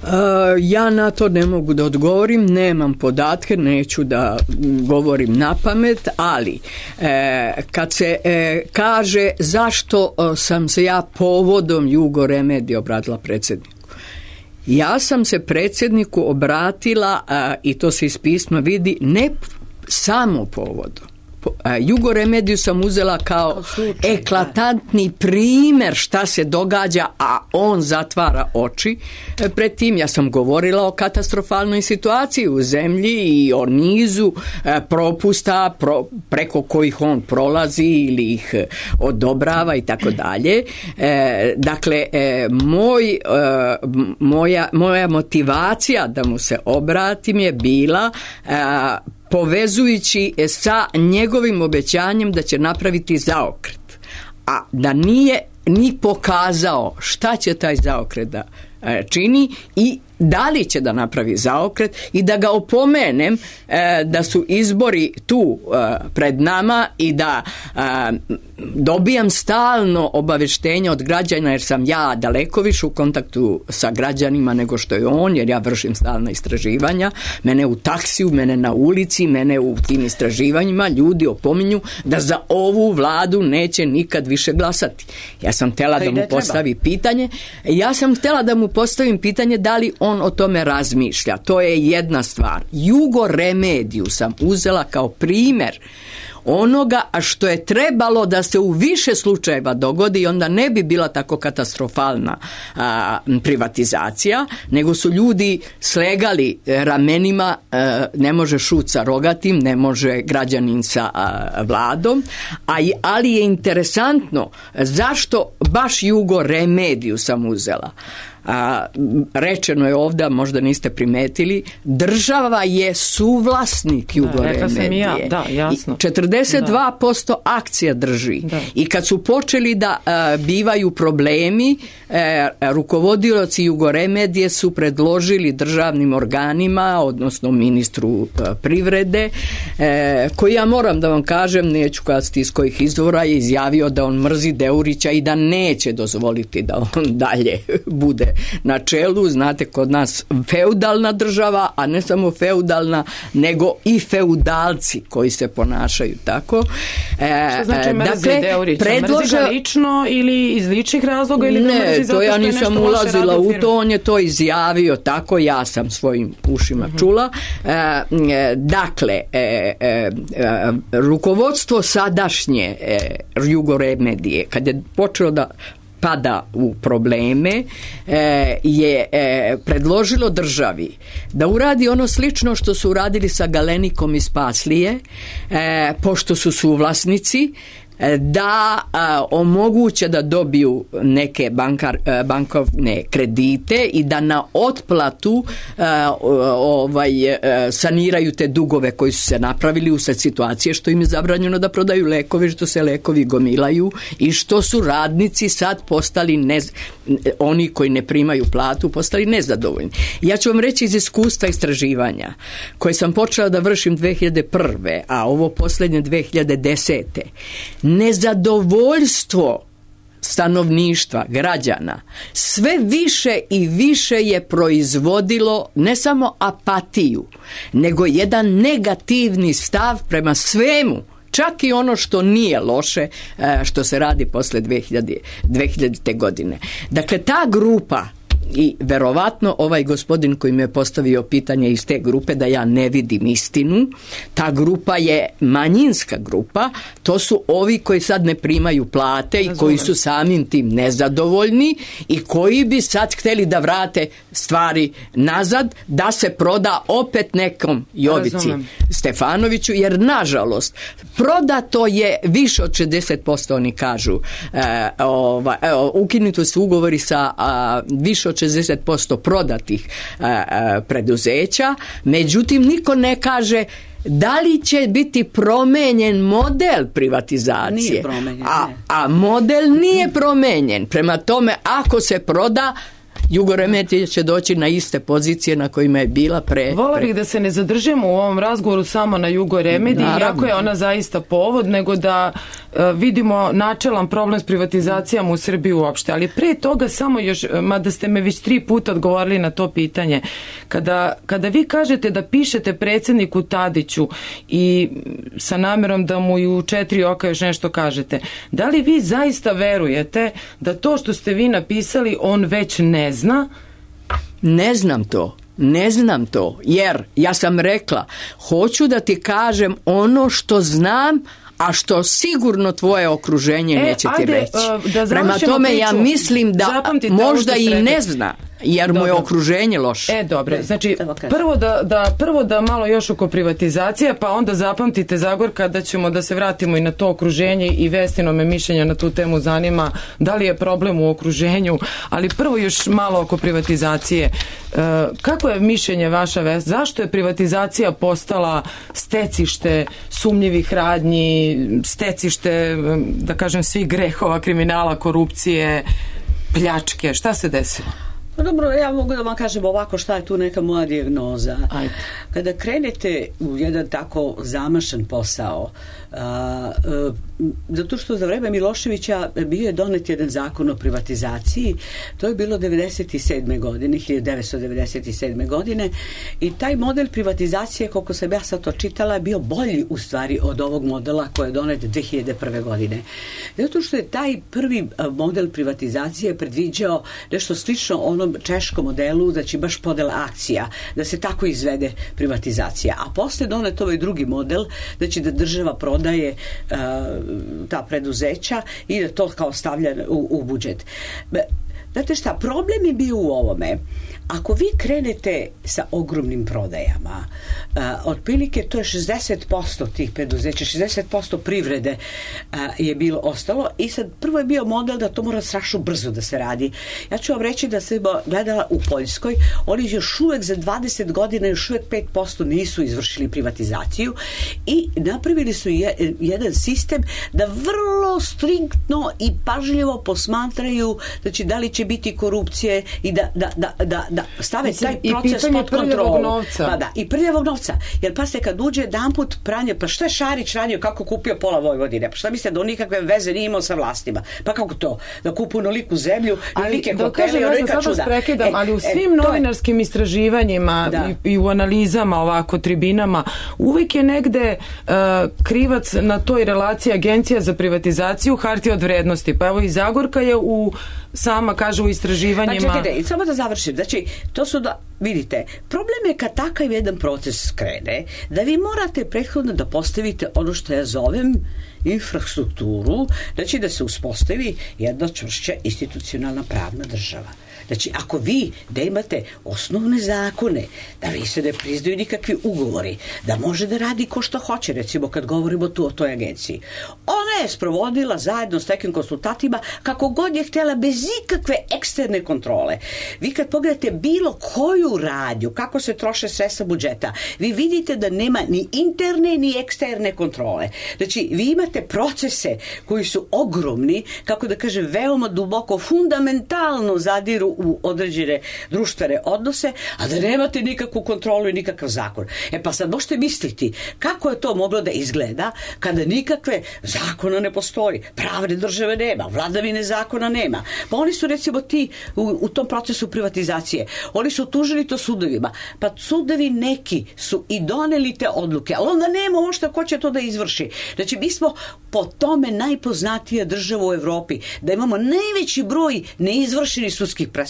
Uh, ja na to ne mogu da odgovorim, nemam podatke, neću da govorim na pamet, ali e, kad se e, kaže zašto o, sam se ja povodom Jugoremedije obratila predsjedniku. Ja sam se predsjedniku obratila a, i to se iz pisma vidi ne samo povodom. Jugoremediju sam uzela kao slučaj, eklatantni primjer šta se događa, a on zatvara oči pred tim. Ja sam govorila o katastrofalnoj situaciji u zemlji i o nizu propusta pro, preko kojih on prolazi ili ih odobrava i tako dalje. Dakle, moj, moja, moja motivacija da mu se obratim je bila povezujući sa njegovim obećanjem da će napraviti zaokret, a da nije ni pokazao šta će taj zaokret da čini i da li će da napravi zaokret i da ga opomenem e, da su izbori tu e, pred nama i da e, dobijam stalno obaveštenja od građana, jer sam ja daleko više u kontaktu sa građanima nego što je on, jer ja vršim stalna istraživanja. Mene u taksiju, mene na ulici, mene u tim istraživanjima ljudi opominju da za ovu vladu neće nikad više glasati. Ja sam htjela da mu postavi pitanje. Ja sam htjela da mu postavim pitanje da li on o tome razmišlja. To je jedna stvar. Jugoremediju sam uzela kao primjer onoga što je trebalo da se u više slučajeva dogodi i onda ne bi bila tako katastrofalna a, privatizacija, nego su ljudi slegali ramenima, a, ne može šut sa rogatim, ne može građanin sa a, vladom, a, ali je interesantno zašto baš Jugoremediju sam uzela. A, rečeno je ovdje, možda niste primetili, država je suvlasnik Jugoremedije. Ja, da, jasno. četrdeset dva posto da. Akcija drži. Da. I kad su počeli da a, bivaju problemi, a, rukovodioci Jugoremedije su predložili državnim organima, odnosno ministru a, privrede, a, koji, ja moram da vam kažem, neću kazati iz kojih izvora, je izjavio da on mrzi Deurića i da neće dozvoliti da on dalje bude na čelu. Znate, kod nas feudalna država, a ne samo feudalna, nego i feudalci koji se ponašaju tako. E, Što znači mrzi dakle, Deurića? Predlože... Mrzi ga lično ili iz ličnih razloga ili ne, ga mrzi zato što ja nisam ulazila u to, on je to izjavio tako, ja sam svojim ušima uh-huh. čula. E, e, dakle, e, e, e, rukovodstvo sadašnje e, Jugoremedije, kad je počelo da pada u probleme, e, je e, predložilo državi da uradi ono slično što su uradili sa Galenikom iz Paslije, e, pošto su suvlasnici, da a, omoguće da dobiju neke bankar, bankovne kredite i da na otplatu a, ovaj, a, saniraju te dugove koji su se napravili usred situacije što im je zabranjeno da prodaju lekovi, što se lekovi gomilaju i što su radnici sad postali nez, oni koji ne primaju platu postali nezadovoljni. Ja ću vam reći iz iskustva istraživanja koje sam počela da vršim dve hiljade prve, a ovo posljednje dve hiljade desete. Nezadovoljstvo stanovništva, građana, sve više i više je proizvodilo ne samo apatiju, nego jedan negativni stav prema svemu, čak i ono što nije loše, što se radi posle dve hiljadite. godine. Dakle, ta grupa, i verovatno ovaj gospodin koji mi je postavio pitanje iz te grupe da ja ne vidim istinu, ta grupa je manjinska grupa, to su ovi koji sad ne primaju plate i koji su samim tim nezadovoljni i koji bi sad hteli da vrate stvari nazad, da se proda opet nekom Jovici Razumem. Stefanoviću, jer nažalost prodato je više od šezdeset posto, oni kažu, e, ova, e, ukinuti su ugovori sa a, više od šezdeset posto prodatih a, a, preduzeća, međutim niko ne kaže da li će biti promenjen model privatizacije. Nije promenjen, a, a model nije promenjen. Prema tome, ako se proda, Jugoremedija će doći na iste pozicije na kojima je bila pre... Vola bih da se ne zadržimo u ovom razgovoru samo na Jugoremediji, iako je ona zaista povod, nego da uh, vidimo načelan problem s privatizacijama u Srbiji uopšte. Ali pre toga samo još, mada ste me već tri puta odgovorili na to pitanje, kada, kada vi kažete da pišete predsjedniku Tadiću i sa namjerom da mu i u četiri oka još nešto kažete, da li vi zaista verujete da to što ste vi napisali on već ne zna? Ne znam to. Ne znam to, jer ja sam rekla, hoću da ti kažem ono što znam, a što sigurno tvoje okruženje e, neće ti ajde, reći. Da Prema tome priču, ja mislim da možda i ne zna, jer dobro. Mu je okruženje loše. E, dobro, znači prvo da, da, prvo da malo još oko privatizacije, pa onda zapamtite, Zagorka, da ćemo da se vratimo i na to okruženje i Vestino me mišljenja na tu temu zanima, da li je problem u okruženju, ali prvo još malo oko privatizacije. E, kako je mišljenje vaša, Vest? Zašto je privatizacija postala stecište sumnjivih radnji, stecište, da kažem, svih grehova, kriminala, korupcije, pljačke? Šta se desilo? Pa dobro, ja mogu da vam kažem ovako šta je tu neka moja dijagnoza. Ajde. Kada krenete u jedan tako zamašan posao, a, a, zato što za vreme Miloševića bio je donet jedan zakon o privatizaciji, to je bilo devedeset sedme godine, hiljadu devetsto devedeset sedme godine, i taj model privatizacije, koliko sam ja sad to čitala, je bio bolji u stvari od ovog modela koji je donet dve hiljade prve godine. Zato što je taj prvi model privatizacije predviđao nešto slično onom češkom modelu, znači baš podela akcija, da se tako izvede privatizacija. A posle donet ovaj drugi model, znači da država prodaje uh, ta preduzeća i da to kao stavlja u, u budžet. Znate šta, problem je bio u ovome. Ako vi krenete sa ogromnim prodajama, uh, otprilike to je šezdeset posto tih preduzeća, šezdeset posto privrede uh, je bilo ostalo, i sad prvo je bio model da to mora strašno brzo da se radi. Ja ću vam reći da sam gledala u Poljskoj, oni još uvek za dvadeset godina još uvek pet posto nisu izvršili privatizaciju i napravili su je, jedan sistem da vrlo striktno i pažljivo posmatraju, znači da li će biti korupcije i da, da, da, da da stave taj proces pod kontrolu. Novca. Pa da, i prljavog novca. Jer pa se kad uđe jedanput pranje, pa šta je Šarić radio, kako kupio pola Vojvodine? Pa šta mislite da on nikakve veze nije imao sa vlastima? Pa kako to? Da kupu onoliku zemlju, onolike hotele i onolika čuda. Prekidam, e, ali u svim e, novinarskim je... istraživanjima i, i u analizama, ovako, tribinama, uvijek je negde uh, krivac na toj relaciji Agencija za privatizaciju hartije od vrednosti. Pa evo i Zagorka je u sama kaže u istraživanjima. Pa čekajte, samo da završim. Znači, to su da, vidite, problem je kad takav jedan proces krene, da vi morate prethodno da postavite ono što ja zovem infrastrukturu, znači da se uspostavi jedna čvršća institucionalna pravna država. Znači, ako vi da imate osnovne zakone, da vi se ne priznaju nikakvi ugovori, da može da radi ko što hoće, recimo kad govorimo tu o toj agenciji. Ona je sprovodila zajedno s nekim konsultatima kako god je htjela, bez ikakve eksterne kontrole. Vi kad pogledate bilo koju radnju, kako se troše sredstva budžeta, vi vidite da nema ni interne ni eksterne kontrole. Znači, vi imate procese koji su ogromni, kako da kažem, veoma duboko, fundamentalno zadiru u određene društvene odnose, a da nemate nikakvu kontrolu i nikakav zakon. E pa sad možete misliti kako je to moglo da izgleda kada nikakve zakona ne postoji, pravne države nema, vladavine zakona nema. Pa oni su recimo ti u, u tom procesu privatizacije, oni su tužili to sudovima, pa sudovi neki su i doneli te odluke, ali onda nema uopšte ko će to da izvrši. Znači mi smo po tome najpoznatija država u Evropi, da imamo najveći broj neizvršenih sudskih presuda.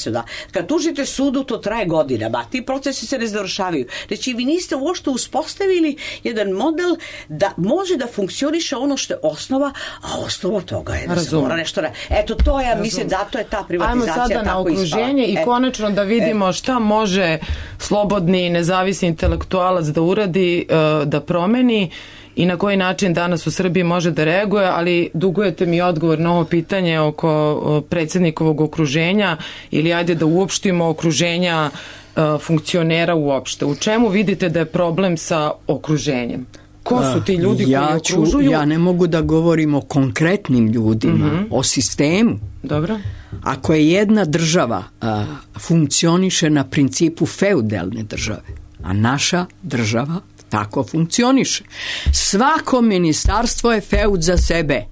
Kad tužite sudu, to traje godinama, ti procesi se ne završavaju. Znači, vi niste uopšte uspostavili jedan model da može da funkcioniše ono što je osnova, a osnova toga je da se mora nešto... Eto, to je, mislim, zato je ta privatizacija tako ispala. Ajmo sada na okruženje i konačno da vidimo šta može slobodni, nezavisni intelektualac da uradi, da promeni i na koji način danas u Srbiji može da reaguje, ali dugujete mi odgovor na ovo pitanje oko predsjednikovog okruženja ili ajde da uopštimo okruženja funkcionera uopšte. U čemu vidite da je problem sa okruženjem? Ko su ti ljudi ja koji ću, okružuju? Ja ne mogu da govorim o konkretnim ljudima, mm-hmm. o sistemu. Dobro. Ako je jedna država a, funkcioniše na principu feudalne države, a naša država tako funkcioniše. Svako ministarstvo je feud za sebe.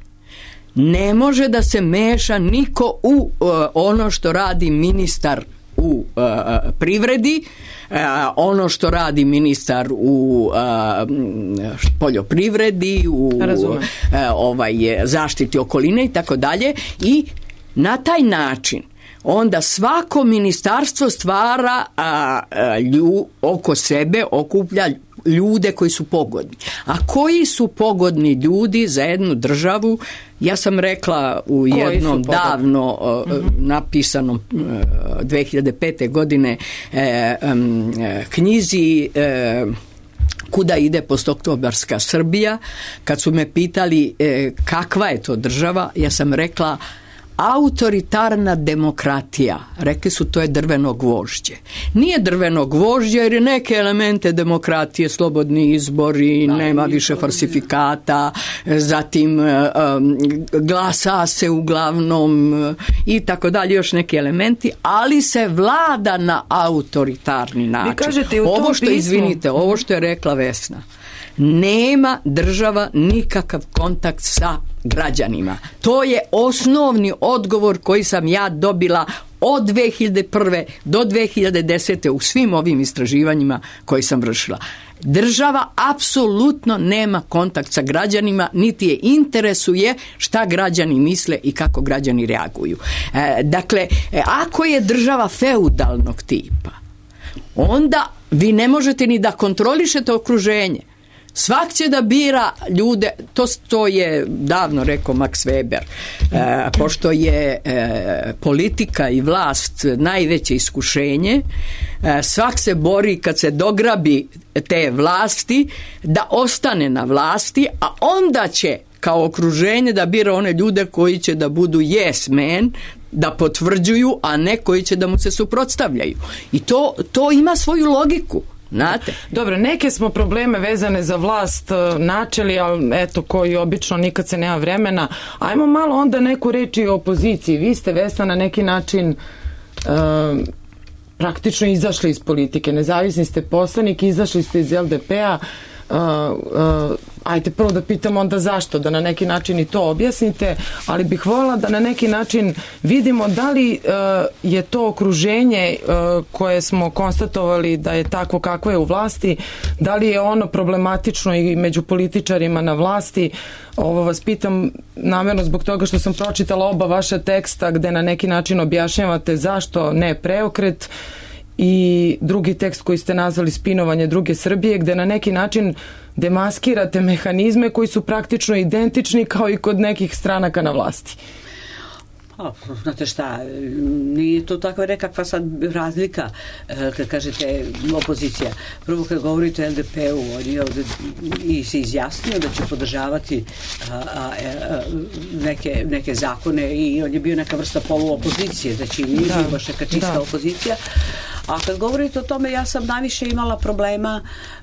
Ne može da se meša niko u uh, ono što radi ministar u uh, privredi, uh, ono što radi ministar u uh, poljoprivredi, u uh, ovaj, zaštiti okoline i tako dalje. I na taj način onda svako ministarstvo stvara a, a, lju, oko sebe, okuplja ljude koji su pogodni. A koji su pogodni ljudi za jednu državu? Ja sam rekla u jednom davno uh, mm-hmm. napisanom uh, dve hiljade pete. godine uh, um, knjizi uh, Kuda ide postoktobarska Srbija, kad su me pitali uh, kakva je to država, ja sam rekla autoritarna demokratija. Rekli su to je drveno gvožđe. Nije drveno gvožđe jer je neke elemente demokratije, slobodni izbori, da, nema više falsifikata, zatim um, glasa se uglavnom i tako dalje, još neki elementi, ali se vlada na autoritarni način. Vi kažete u tom ovo što, pismu... izvinite, ovo što je rekla Vesna, nema država nikakav kontakt sa građanima. To je osnovni odgovor koji sam ja dobila od dve hiljade prve do dve hiljade desete u svim ovim istraživanjima koji sam vršila. Država apsolutno nema kontakt sa građanima, niti je interesuje šta građani misle i kako građani reaguju. E, dakle, ako je država feudalnog tipa, onda vi ne možete ni da kontrolišete okruženje. Svak će da bira ljude, to, to je davno rekao Max Weber, e, pošto je e, politika i vlast najveće iskušenje, e, svak se bori kad se dograbi te vlasti da ostane na vlasti, a onda će kao okruženje da bira one ljude koji će da budu yes man, da potvrđuju, a ne koji će da mu se suprotstavljaju. I to, to ima svoju logiku. Znate. Dobro, neke smo probleme vezane za vlast načeli, ali eto, koji obično nikad se nema vremena. Ajmo malo onda neku reč i o opoziciji. Vi ste, Vesna, na neki način uh, praktično izašli iz politike. Nezavisni ste poslanik, izašli ste iz el de pe-a. Uh, uh, ajte prvo da pitam onda zašto, da na neki način i to objasnite, ali bih voljela da na neki način vidimo da li uh, je to okruženje uh, koje smo konstatovali da je takvo kakvo je u vlasti, da li je ono problematično i među političarima na vlasti. Ovo vas pitam namjerno zbog toga što sam pročitala oba vaša teksta gde na neki način objašnjavate zašto ne preokret, i drugi tekst koji ste nazvali Spinovanje druge Srbije, gde na neki način demaskirate mehanizme koji su praktično identični kao i kod nekih stranaka na vlasti. A, znate šta, nije to takva nekakva sad razlika kad kažete opozicija. Prvo kad govorite o el de pe-u, on je ovde i se izjasnio da će podržavati a, a, a, neke, neke zakone i on je bio neka vrsta poluopozicije, znači nije da, baš neka čista da. opozicija. A kad govorite o tome, ja sam najviše imala problema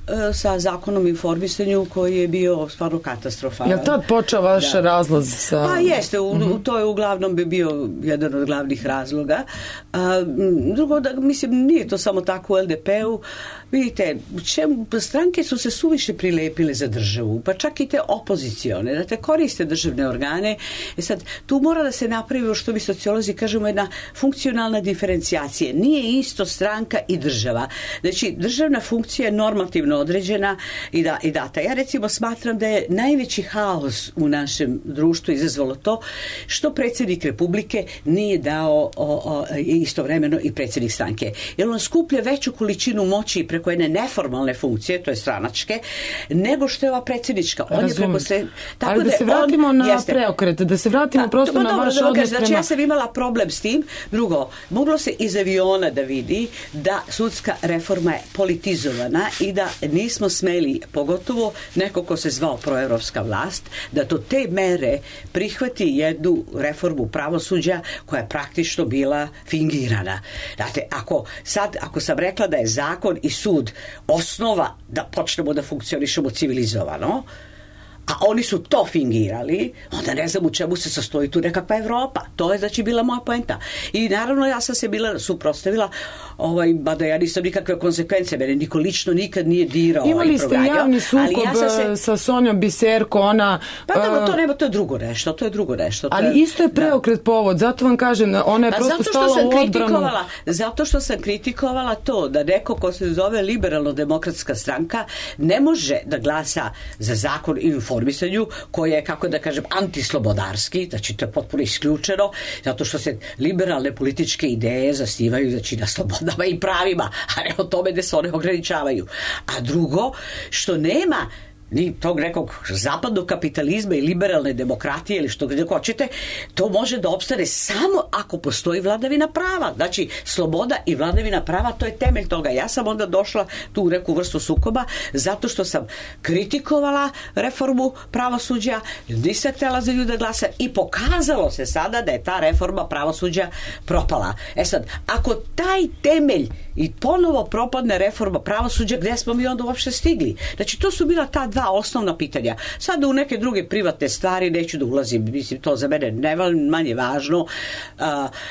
e, sa zakonom o informisanju koji je bio stvarno katastrofalan. Je tad počeo vaš da. razlaz? Sa... Pa jeste, u, mm-hmm. to je uglavnom bi bio jedan od glavnih razloga. A, drugo, da, mislim, nije to samo tako u el de pe-u. Vidite, čemu, stranke su se suviše prilepile za državu, pa čak i te opozicione, da te koriste državne organe. E sad, tu mora da se napravi, što mi sociolozi kažemo, jedna funkcionalna diferencijacija. Nije isto stranka i država. Znači, državna funkcija je normativno određena i, da, i data. Ja recimo smatram da je najveći haos u našem društvu izazvalo to što predsjednik Republike nije dao o, o, istovremeno i predsjednik stranke. Jer on skuplja veću količinu moći preko jedne neformalne funkcije, to je stranačke, nego što je ova predsjednička. On je preko se, tako ali da, da se vratimo on, na jeste, preokret, da se vratimo da, prosto to, na vaš odnos prema... Znači ja sam imala problem s tim. Drugo, moglo se iz aviona da vidi da sudska reforma je politizovana i da nismo smeli, pogotovo neko ko se zvao proevropska vlast, da to te mere prihvati jednu reformu pravosuđa koja je praktično bila fingirana. Znate, ako sad, ako sam rekla da je zakon i sud osnova da počnemo da funkcionišemo civilizovano, a oni su to fingirali, onda ne znam u čemu se sastoji tu nekakva Evropa. To je znači bila moja poenta. I naravno ja sam se bila suprotstavila, ovaj, mada ja nisam nikakve konsekvence, mene niko lično nikad nije dirao. Imali ste javni sukob ja se... sa Sonjom Biserko, ona... Pa da, to nema, to je drugo nešto, to je drugo nešto. Ali je, isto je preokret da. povod, zato vam kažem, ona je pa prosto stala u odbranu. Zato što sam kritikovala to da neko ko se zove liberalno-demokratska stranka ne može da glasa za zakon i informisanju koji je, kako da kažem, antislobodarski, znači to je potpuno isključeno, zato što se liberalne političke ideje zasnivaju znači na slobodama i pravima, a ne o tome da se one ograničavaju. A drugo, što nema ni tog nekog zapadnog kapitalizma i liberalne demokratije ili što gdje hoćete, to može da opstane samo ako postoji vladavina prava. Znači, sloboda i vladavina prava, to je temelj toga. Ja sam onda došla tu u neku vrstu sukoba zato što sam kritikovala reformu pravosuđa, nisam htjela za ljude glasa i pokazalo se sada da je ta reforma pravosuđa propala. E sad, ako taj temelj i ponovo propadne reforma pravosuđa, gdje smo mi onda uopšte stigli? Znači, to su bila ta dva osnovna pitanja. Sada u neke druge privatne stvari neću da ulazim, mislim, to za mene ne manje važno. Uh,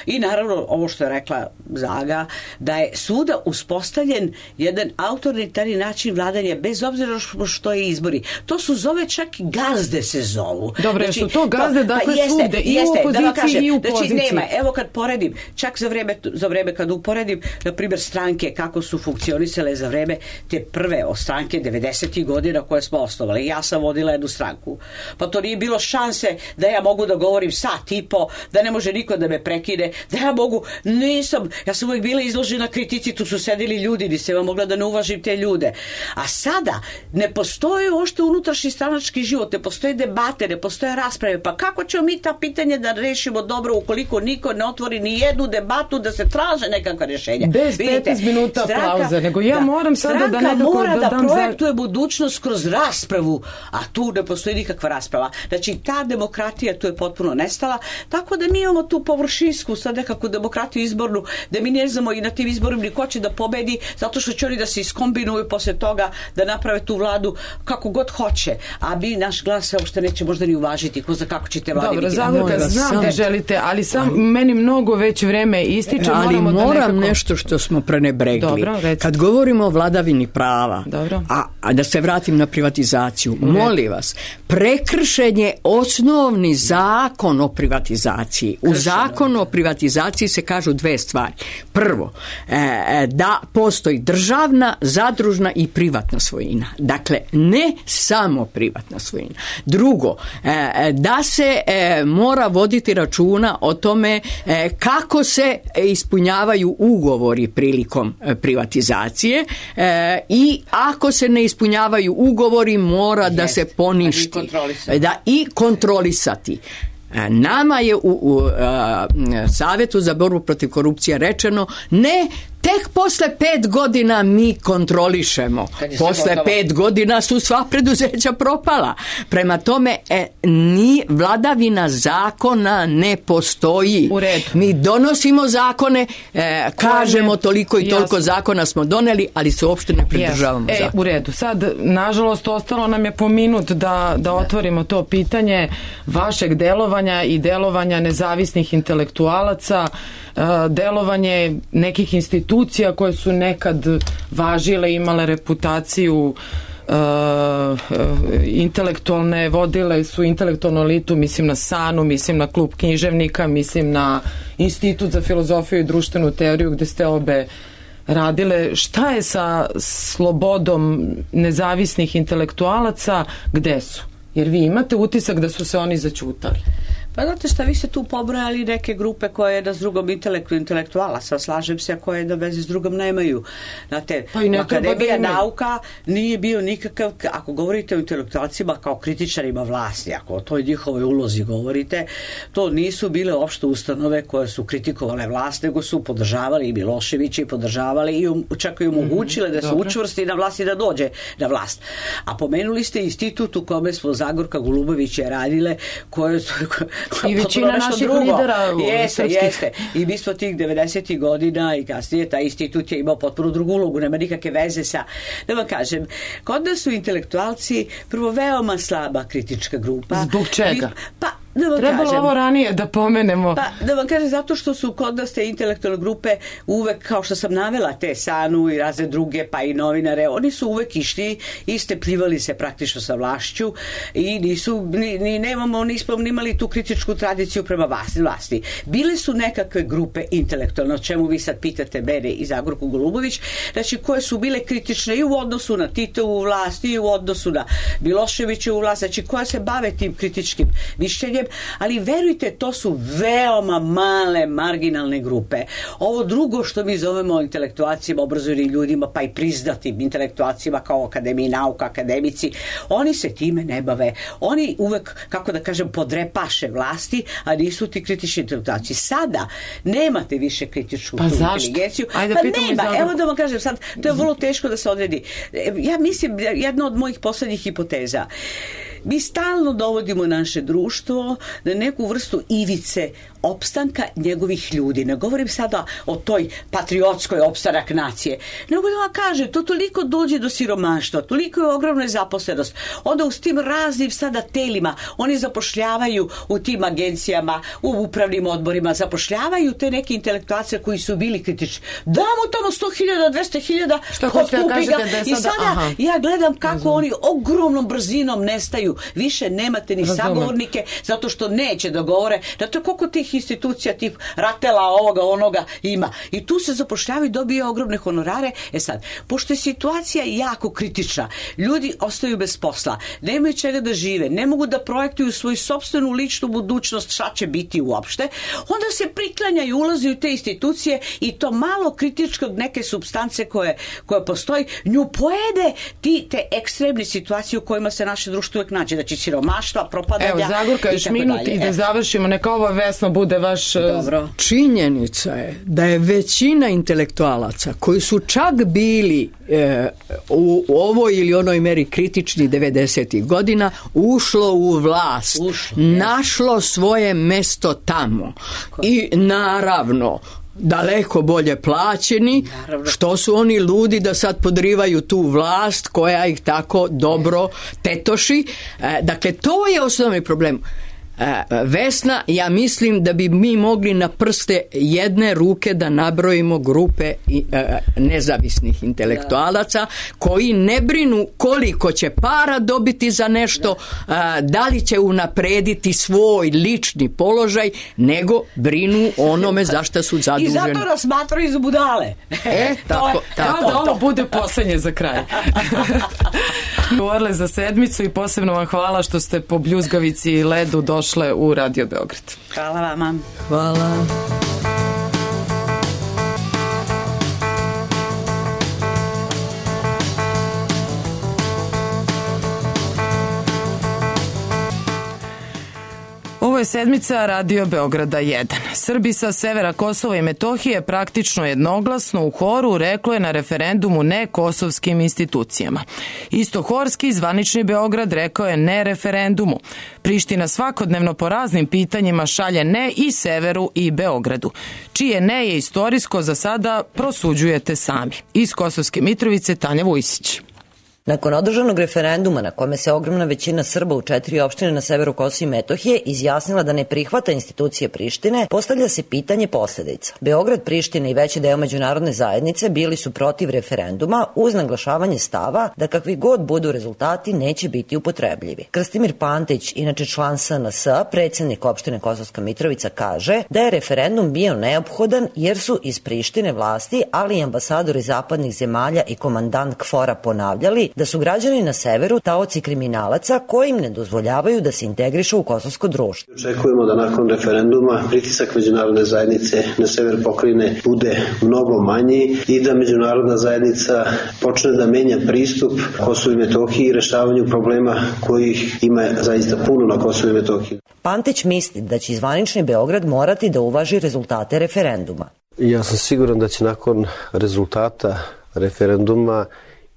I naravno, ovo što je rekla Zaga, da je svuda uspostavljen jedan autoritarni način vladanja, bez obzira što je izbori. To su zove čak i gazde se zovu. Dobre, znači, su to gazde, to, dakle, pa jeste, svugde, i jeste, u opoziciji da kažem, i u poziciji. Znači, nema, evo kad poredim, čak za vreme, za vreme kad uporedim, na primjer, stranke kako su funkcionisale za vreme te prve stranke devedesetih godina koje smo osnovali. Ja sam vodila jednu stranku. Pa to nije bilo šanse da ja mogu da govorim sat i po, da ne može niko da me prekine, da ja mogu, nisam, ja sam uvijek bila izložena kritici, tu su sedili ljudi, nisam vam mogla da ne uvažim te ljude. A sada ne postoje ošte unutrašnji stranački život, ne postoje debate, ne postoje rasprave, pa kako ćemo mi ta pitanje da rešimo dobro ukoliko niko ne otvori ni jednu debatu da se traže nekakva rješenja. Bez petnaest minuta pauze, nego ja da, moram sada da nekako mora da, da dam projektuje za... budućnost kroz raspravu, a tu ne postoji nikakva rasprava. Znači, ta demokratija tu je potpuno nestala, tako da mi imamo tu površinsku sad nekakvu demokratiju izbornu, da mi ne znamo i na tim izborima ni ko će da pobedi, zato što će oni da se iskombinuju posle toga da naprave tu vladu kako god hoće, a mi naš glas se uopšte neće možda ni uvažiti, ko za kako ćete vladi. Dobro, Zagorka, znam da želite, ali sam meni mnogo već vreme ističe. Ali moram da nekako... nešto što smo prenebregli. Dobro, kad govorimo o vladavini prava, a, a da se vratim na privatizaciju, molim vas, prekršen je osnovni zakon o privatizaciji. U zakonu o privatizaciji se kažu dve stvari. Prvo, e, da postoji državna, zadružna i privatna svojina. Dakle, ne samo privatna svojina. Drugo, e, da se e, mora voditi računa o tome e, kako se ispunjavaju ugovori prilikom e, privatizacije e, i ako se ne ispunjavaju ugovori mora Jest. da se poništi da i kontrolisati. Nama je u, u uh, Savjetu za borbu protiv korupcije rečeno ne, tek posle pet godina mi kontrolišemo. Posle pet godina su sva preduzeća propala. Prema tome, e, ni vladavina zakona ne postoji. U redu. Mi donosimo zakone, e, kažemo toliko i toliko Jasno. zakona smo doneli, ali se uopšte ne pridržavamo Jasno. E, zakona. u redu. Sad, nažalost, ostalo nam je po minut da, da otvorimo to pitanje vašeg delovanja i delovanja nezavisnih intelektualaca, delovanje nekih institucija koje su nekad važile, imale reputaciju uh, intelektualne, vodile su intelektualnu elitu, mislim na SANU, mislim na klub književnika, mislim na Institut za filozofiju i društvenu teoriju gde ste obe radile. Šta je sa slobodom nezavisnih intelektualaca, gde su? Jer vi imate utisak da su se oni zaćutali. Pa znate šta, vi ste tu pobrojali neke grupe koje jedna s drugom intelektu, intelektualaca, slažem se, a koje da veze s drugom nemaju. Znate, pa Akademija da nauka nije bio nikakav, ako govorite o intelektualcima kao kritičarima vlasti, ako o toj njihovoj ulozi govorite, to nisu bile opšte ustanove koje su kritikovale vlast, nego su podržavali i Miloševića i podržavali i um, čak i omogućile da se Dobro. učvrsti na vlast i da dođe na vlast. A pomenuli ste institut u kome smo Zagorka Golubović je radile, koje su i većina naših drugo. lidera jeste, srpskih. jeste. I mi smo tih devedesetih godina i kasnije taj institut je imao potpuno drugu ulogu, nema nikakve veze sa, da vam kažem, kod nas su intelektualci prvo veoma slaba kritička grupa. Zbog čega? Mi, pa da vam Trebalo kažem, ovo ranije da pomenemo. Pa da vam kažem, zato što su kod nas te intelektualne grupe uvek, kao što sam navela, te SANU i razne druge, pa i novinare, oni su uvek išli i stepljivali se praktično sa vlašću i nisu, ni, ni nemamo, nismo imali tu kritičku tradiciju prema vlasti. vlasti. Bile su nekakve grupe intelektualne, o čemu vi sad pitate mene i Zagorku Golubović, znači koje su bile kritične i u odnosu na Titovu vlast i u odnosu na Miloševićevu vlast, znači koje se bave tim kritičkim mišljenjem, drugim, ali verujte, to su veoma male marginalne grupe. Ovo drugo što mi zovemo intelektualcima, obrazovanim ljudima, pa i priznatim intelektualcima kao akademiji nauka, akademici, oni se time ne bave. Oni uvek, kako da kažem, podrepaše vlasti, a nisu ti kritični intelektualci. Sada nemate više kritičku pa inteligenciju. Ajde, pa nema, evo da vam kažem sad, to je vrlo teško da se odredi. Ja mislim, jedna od mojih poslednjih hipoteza, mi stalno dovodimo naše društvo na neku vrstu ivice opstanka njegovih ljudi. Ne govorim sada o toj patriotskoj opstanak nacije, nego da vam kaže, to toliko dođe do siromaštva, toliko je ogromna zaposlenost. Onda u tim raznim sada telima oni zapošljavaju u tim agencijama, u upravnim odborima, zapošljavaju te neke intelektualce koji su bili kritični. Damo tamo sto hiljada, dvesta hiljada, postupi ga. Da I sada aha. ja gledam kako Razum. oni ogromnom brzinom nestaju. Više nemate ni Razum. sagovornike, zato što neće da govore. Zato koliko tih institucija tip Ratela, ovoga, onoga ima. I tu se zapošljavaju i dobije ogromne honorare. E sad, pošto je situacija jako kritična, ljudi ostaju bez posla, nemaju čega da žive, ne mogu da projektuju svoju sopstvenu ličnu budućnost, šta će biti uopšte, onda se priklanjaju, ulaze u te institucije i to malo kritičkog neke supstance koje, koje postoji, nju pojede ti te ekstremne situacije u kojima se naše društvo uvek nađe, znači siromaštva, propadanja. Evo, Zagorka, još minut i da završimo, neka ovo Vesno bude vaš... Dobro. Činjenica je da je većina intelektualaca koji su čak bili e, u ovoj ili onoj meri kritični devedesetih godina ušlo u vlast, ušlo, našlo svoje mesto tamo. Ko? I naravno daleko bolje plaćeni, naravno. Što su oni ludi da sad podrivaju tu vlast koja ih tako dobro tetoši. E, dakle, to je osnovni problem. Vesna, ja mislim da bi mi mogli na prste jedne ruke da nabrojimo grupe nezavisnih intelektualaca koji ne brinu koliko će para dobiti za nešto, da li će unaprediti svoj lični položaj, nego brinu onome za šta su zaduženi. I zato nas smatraju za budale. E, tako, tako. Da ovo bude poslednje za kraj. Govorili za sedmicu i posebno vam hvala što ste po bljuzgavici i ledu došle u Radio Beograd. Hvala vama. Hvala. Ovo je sedmica Radio Beograda jedan. Srbi sa severa Kosova i Metohije praktično jednoglasno u horu reklo je na referendumu ne kosovskim institucijama. Isto horski zvanični Beograd rekao je ne referendumu. Priština svakodnevno po raznim pitanjima šalje ne i severu i Beogradu. Čije ne je istorijsko za sada prosuđujete sami. Iz Kosovske Mitrovice Tanja Vujsić. Nakon održanog referenduma na kome se ogromna većina Srba u četiri opštine na severu Kosova i Metohije izjasnila da ne prihvata institucije Prištine, postavlja se pitanje posledica. Beograd, Priština i veći deo međunarodne zajednice bili su protiv referenduma uz naglašavanje stava da kakvi god budu rezultati neće biti upotrebljivi. Krstimir Pantić, inače član S N S, predsjednik opštine Kosovska Mitrovica, kaže da je referendum bio neophodan jer su iz Prištine vlasti, ali i ambasadori zapadnih zemalja i komandant KFOR-a ponavljali da su građani na severu taoci kriminalaca koji im ne dozvoljavaju da se integrišu u kosovsko društvo. Očekujemo da nakon referenduma pritisak međunarodne zajednice na sever pokrajine bude mnogo manji i da međunarodna zajednica počne da menja pristup Kosovu i Metohiji i rešavanju problema kojih ima zaista puno na Kosovu i Metohiji. Pantić misli da će zvanični Beograd morati da uvaži rezultate referenduma. Ja sam siguran da će nakon rezultata referenduma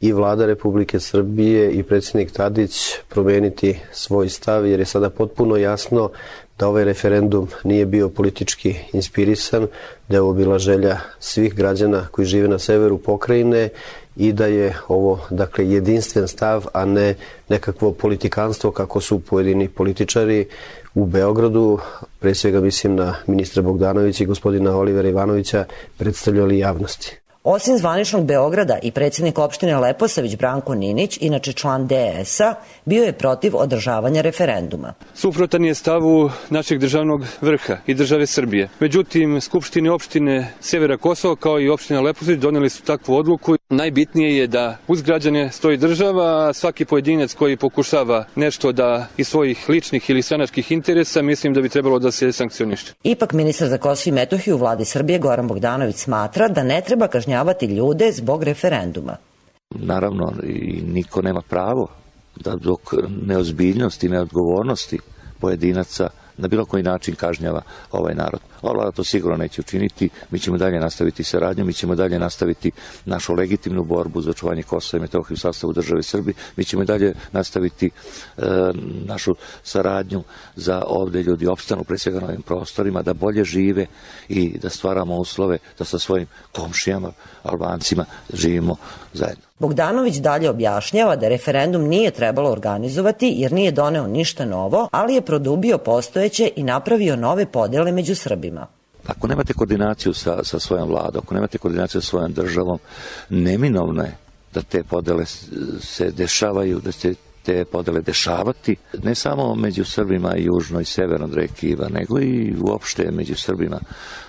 i vlada Republike Srbije i predsjednik Tadić promeniti svoj stav, jer je sada potpuno jasno da ovaj referendum nije bio politički inspirisan, da je ovo bila želja svih građana koji žive na severu pokrajine i da je ovo, dakle, jedinstven stav, a ne nekakvo politikanstvo kako su pojedini političari u Beogradu, pre svega mislim na ministra Bogdanovića i gospodina Olivera Ivanovića, predstavljali javnosti. Osim zvaničnog Beograda i predsjednik opštine Leposavić Branko Ninić, inače član D S A, bio je protiv održavanja referenduma. Suprotan je stavu našeg državnog vrha i države Srbije. Međutim, Skupštine opštine Severa Kosova kao i opštine Leposavić doneli su takvu odluku. Najbitnije je da uz građane stoji država, a svaki pojedinac koji pokušava nešto da iz svojih ličnih ili stranačkih interesa, mislim da bi trebalo da se sankcioniše. Ipak ministar za Kosovo i Metohiju u vladi Srbije Goran Bogdanović smatra da ne treba kažnjavati ljude zbog referenduma. Naravno, i niko nema pravo da dok neozbiljnosti i neodgovornosti pojedinaca na bilo koji način kažnjava ovaj narod. Ova vlada to sigurno neće učiniti, mi ćemo dalje nastaviti saradnju, mi ćemo dalje nastaviti našu legitimnu borbu za očuvanje Kosova i Metohije u sastavu države Srbije, mi ćemo dalje nastaviti e, našu saradnju za ovde ljudi opstanu, pre svega na ovim prostorima, da bolje žive i da stvaramo uslove da sa svojim komšijama, Albancima, živimo zajedno. Bogdanović dalje objašnjava da referendum nije trebalo organizovati jer nije doneo ništa novo, ali je produbio postojeće i napravio nove podele među Srbima. Ako nemate koordinaciju sa, sa svojom vladom, ako nemate koordinaciju sa svojom državom, neminovno je da te podele se dešavaju, da se te podele dešavati, ne samo među Srbima južno i severno od reke Iva, nego i uopšte među Srbima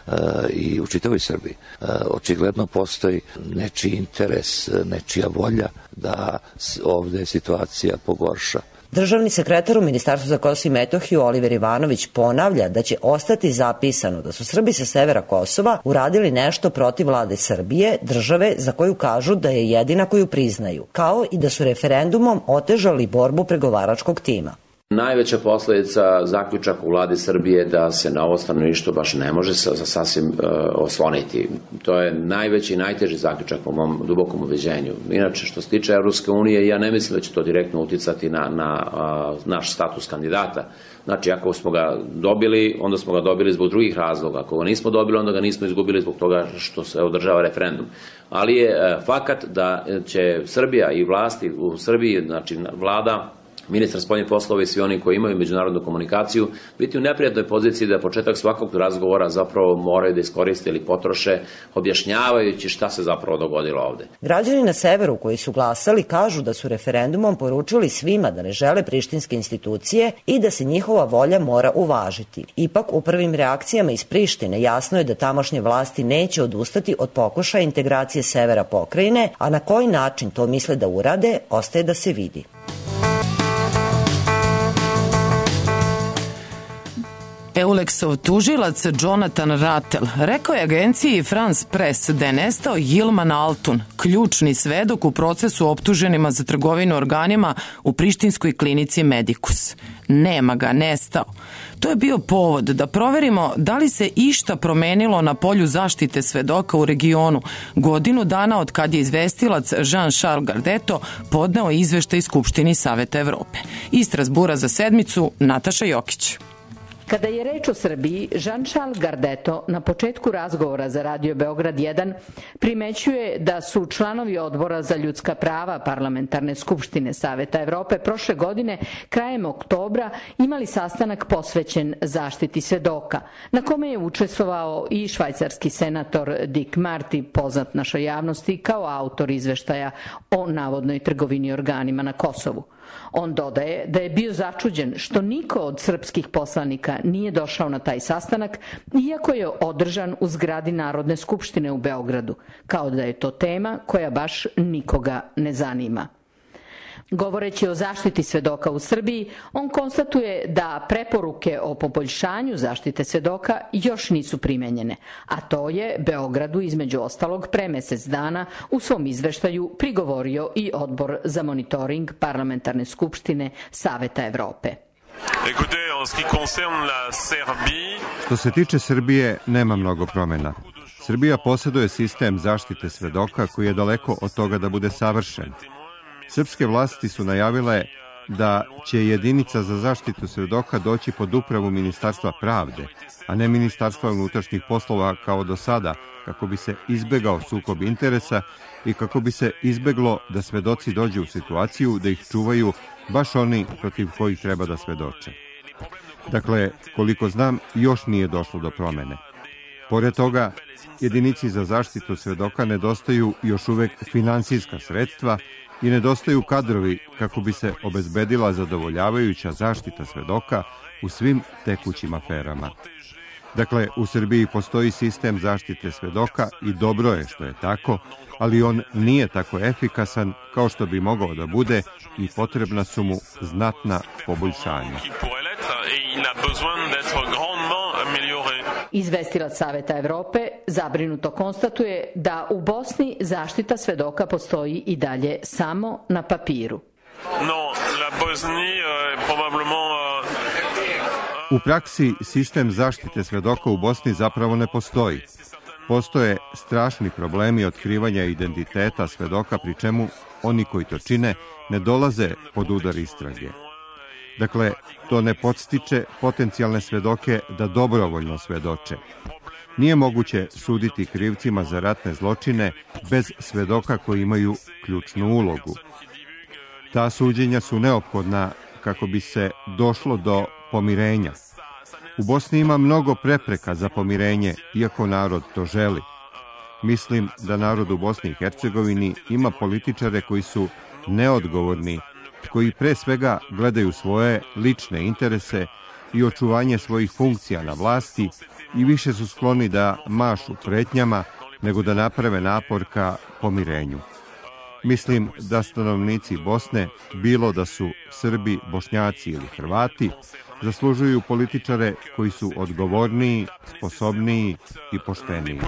e, i u čitavoj Srbiji. E, očigledno postoji nečiji interes, nečija volja da ovde situacija pogorša. Državni sekretar u Ministarstvu za Kosovo i Metohiju Oliver Ivanović ponavlja da će ostati zapisano da su Srbi sa severa Kosova uradili nešto protiv vlade Srbije, države za koju kažu da je jedina koju priznaju, kao i da su referendumom otežali borbu pregovaračkog tima. Najveća posledica zaključaka u vladi Srbije da se na ovo stanovništvo baš ne može sasvim uh, osloniti. To je najveći i najteži zaključak po mom dubokom ubeđenju. Inače, što se tiče Evropske unije, ja ne mislim da će to direktno uticati na, na uh, naš status kandidata. Znači, ako smo ga dobili, onda smo ga dobili zbog drugih razloga. Ako ga nismo dobili, onda ga nismo izgubili zbog toga što se održava referendum. Ali je uh, fakat da će Srbija i vlasti u Srbiji, znači vlada, ministar spoljnih poslova i svi oni koji imaju međunarodnu komunikaciju biti u neprijatnoj poziciji da početak svakog razgovora zapravo moraju da iskoriste ili potroše objašnjavajući šta se zapravo dogodilo ovde. Građani na severu koji su glasali kažu da su referendumom poručili svima da ne žele prištinske institucije i da se njihova volja mora uvažiti. Ipak u prvim reakcijama iz Prištine jasno je da tamošnje vlasti neće odustati od pokušaja integracije severa pokrajine, a na koji način to misle da urade, ostaje da se vidi. Euleksov tužilac Jonathan Rattel rekao je agenciji France Press da je nestao Yilman Altun, ključni svedok u procesu optuženima za trgovinu organima u prištinskoj klinici Medicus. Nema ga, nestao. To je bio povod da proverimo da li se išta promenilo na polju zaštite svedoka u regionu godinu dana od kad je izvestilac Jean-Charles Gardeto podneo izveštaj Skupštini Saveta Evrope. Iz Strasbura za sedmicu, Nataša Jokić. Kada je reč o Srbiji, Jean-Charles Gardeto na početku razgovora za Radio Beograd jedan primećuje da su članovi odbora za ljudska prava Parlamentarne skupštine Saveta Evrope prošle godine krajem oktobra imali sastanak posvećen zaštiti svedoka, na kome je učestvovao i švajcarski senator Dick Marty, poznat našoj javnosti kao autor izveštaja o navodnoj trgovini organima na Kosovu. On dodaje da je bio začuđen što niko od srpskih poslanika nije došao na taj sastanak, iako je održan u zgradi Narodne skupštine u Beogradu, kao da je to tema koja baš nikoga ne zanima. Govoreći o zaštiti svedoka u Srbiji, on konstatuje da preporuke o poboljšanju zaštite svedoka još nisu primenjene, a to je Beogradu između ostalog pre mesec dana u svom izveštaju prigovorio i Odbor za monitoring Parlamentarne skupštine Saveta Evrope. Što se tiče Srbije, nema mnogo promjena. Srbija posjeduje sistem zaštite svedoka koji je daleko od toga da bude savršen. Srpske vlasti su najavile da će jedinica za zaštitu svedoka doći pod upravu Ministarstva pravde, a ne Ministarstva unutrašnjih poslova kao do sada, kako bi se izbegao sukob interesa i kako bi se izbeglo da svedoci dođu u situaciju da ih čuvaju baš oni protiv kojih treba da svedoče. Dakle, koliko znam, još nije došlo do promene. Pored toga, jedinici za zaštitu svedoka nedostaju još uvek finansijska sredstva i nedostaju kadrovi kako bi se obezbedila zadovoljavajuća zaštita svedoka u svim tekućim aferama. Dakle, u Srbiji postoji sistem zaštite svedoka i dobro je što je tako, ali on nije tako efikasan kao što bi mogao da bude i potrebna su mu znatna poboljšanja. Izvestilac Saveta Evrope zabrinuto konstatuje da u Bosni zaštita svedoka postoji i dalje samo na papiru. U praksi sistem zaštite svedoka u Bosni zapravo ne postoji. Postoje strašni problemi otkrivanja identiteta svedoka, pri čemu oni koji to čine ne dolaze pod udar istrage. Dakle, to ne podstiče potencijalne svedoke da dobrovoljno svedoče. Nije moguće suditi krivcima za ratne zločine bez svedoka koji imaju ključnu ulogu. Ta suđenja su neophodna kako bi se došlo do pomirenja. U Bosni ima mnogo prepreka za pomirenje, iako narod to želi. Mislim da narod u Bosni i Hercegovini ima političare koji su neodgovorni, koji pre svega gledaju svoje lične interese i očuvanje svojih funkcija na vlasti i više su skloni da mašu pretnjama nego da naprave napor ka pomirenju. Mislim da stanovnici Bosne, bilo da su Srbi, Bošnjaci ili Hrvati, zaslužuju političare koji su odgovorniji, sposobniji i pošteniji.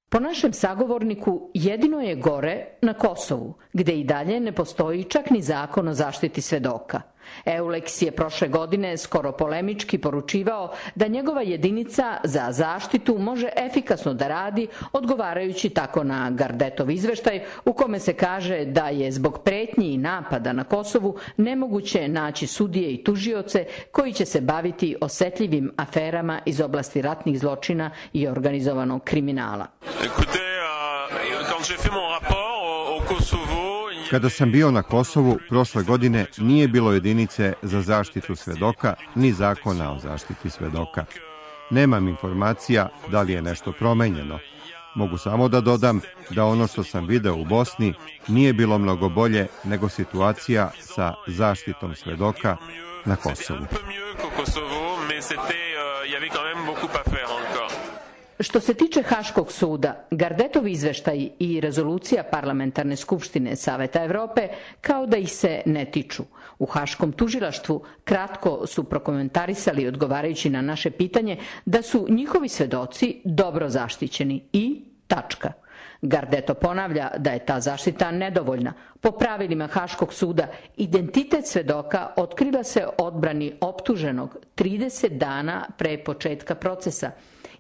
Po našem sagovorniku, jedino je gore na Kosovu, gde i dalje ne postoji čak ni zakon o zaštiti svedoka. Euleks je prošle godine skoro polemički poručivao da njegova jedinica za zaštitu može efikasno da radi, odgovarajući tako na Gardetov izveštaj u kome se kaže da je zbog pretnji i napada na Kosovu nemoguće naći sudije i tužioce koji će se baviti osetljivim aferama iz oblasti ratnih zločina i organizovanog kriminala. Kada sam bio na Kosovu prošle godine, nije bilo jedinice za zaštitu svedoka ni zakona o zaštiti svedoka. Nemam informacija da li je nešto promenjeno. Mogu samo da dodam da ono što sam video u Bosni nije bilo mnogo bolje nego situacija sa zaštitom svedoka na Kosovu. Što se tiče Haškog suda, Gardetov izveštaj i rezolucija Parlamentarne skupštine Saveta Evrope kao da ih se ne tiču. U Haškom tužilaštvu kratko su prokomentarisali, odgovarajući na naše pitanje, da su njihovi svedoci dobro zaštićeni i tačka. Gardeto ponavlja da je ta zaštita nedovoljna. Po pravilima Haškog suda, identitet svedoka otkriva se odbrani optuženog trideset dana pre početka procesa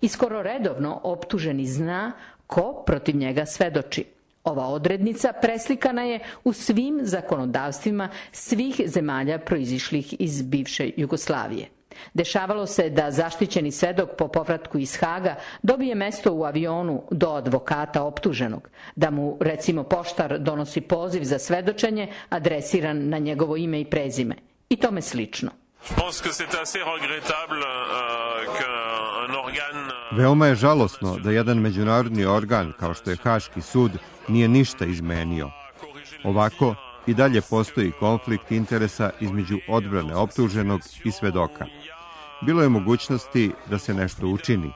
i skoro redovno optuženi zna ko protiv njega svedoči. Ova odrednica preslikana je u svim zakonodavstvima svih zemalja proizišlih iz bivše Jugoslavije. Dešavalo se da zaštićeni svedok po povratku iz Haga dobije mesto u avionu do advokata optuženog, da mu, recimo, poštar donosi poziv za svedočenje adresiran na njegovo ime i prezime i tome slično. Veoma je žalosno da jedan međunarodni organ kao što je Haški sud nije ništa izmenio. Ovako i dalje postoji konflikt interesa između odbrane optuženog i svedoka. Bilo je mogućnosti da se nešto učini.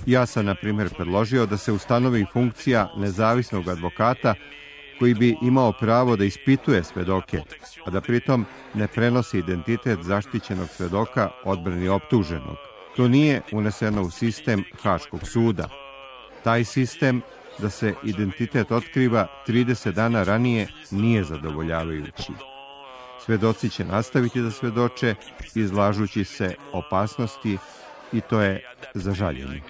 Ja sam, na primjer, predložio da se ustanovi funkcija nezavisnog advokata koji bi imao pravo da ispituje svedoke, a da pritom ne prenosi identitet zaštićenog svedoka odbrani optuženog. To nije uneseno u sistem Haškog suda. Taj sistem da se identitet otkriva trideset dana ranije nije zadovoljavajući. Svedoci će nastaviti da svedoče, izlažući se opasnosti, i to je za žaljenje.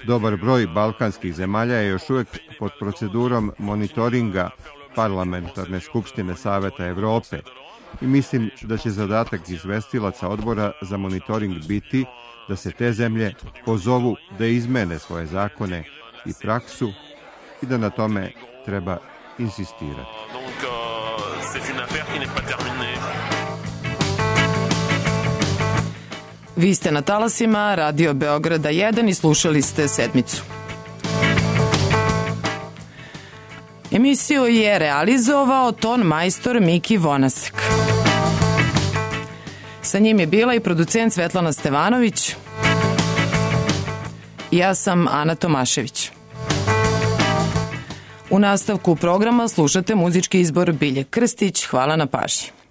Dobar broj balkanskih zemalja je još uvek pod procedurom monitoringa Parlamentarne skupštine Saveta Evrope i mislim da će zadatak izvestilaca odbora za monitoring biti da se te zemlje pozovu da izmene svoje zakone i praksu i da na tome treba insistirati. Vi ste na talasima Radio Beograda jedan i slušali ste Sedmicu. Emisiju je realizovao ton majstor Miki Vonasek. Sa njim je bila i producent Svetlana Stevanović. Ja sam Ana Tomašević. U nastavku programa slušate muzički izbor Bilje Krstić. Hvala na pažnji.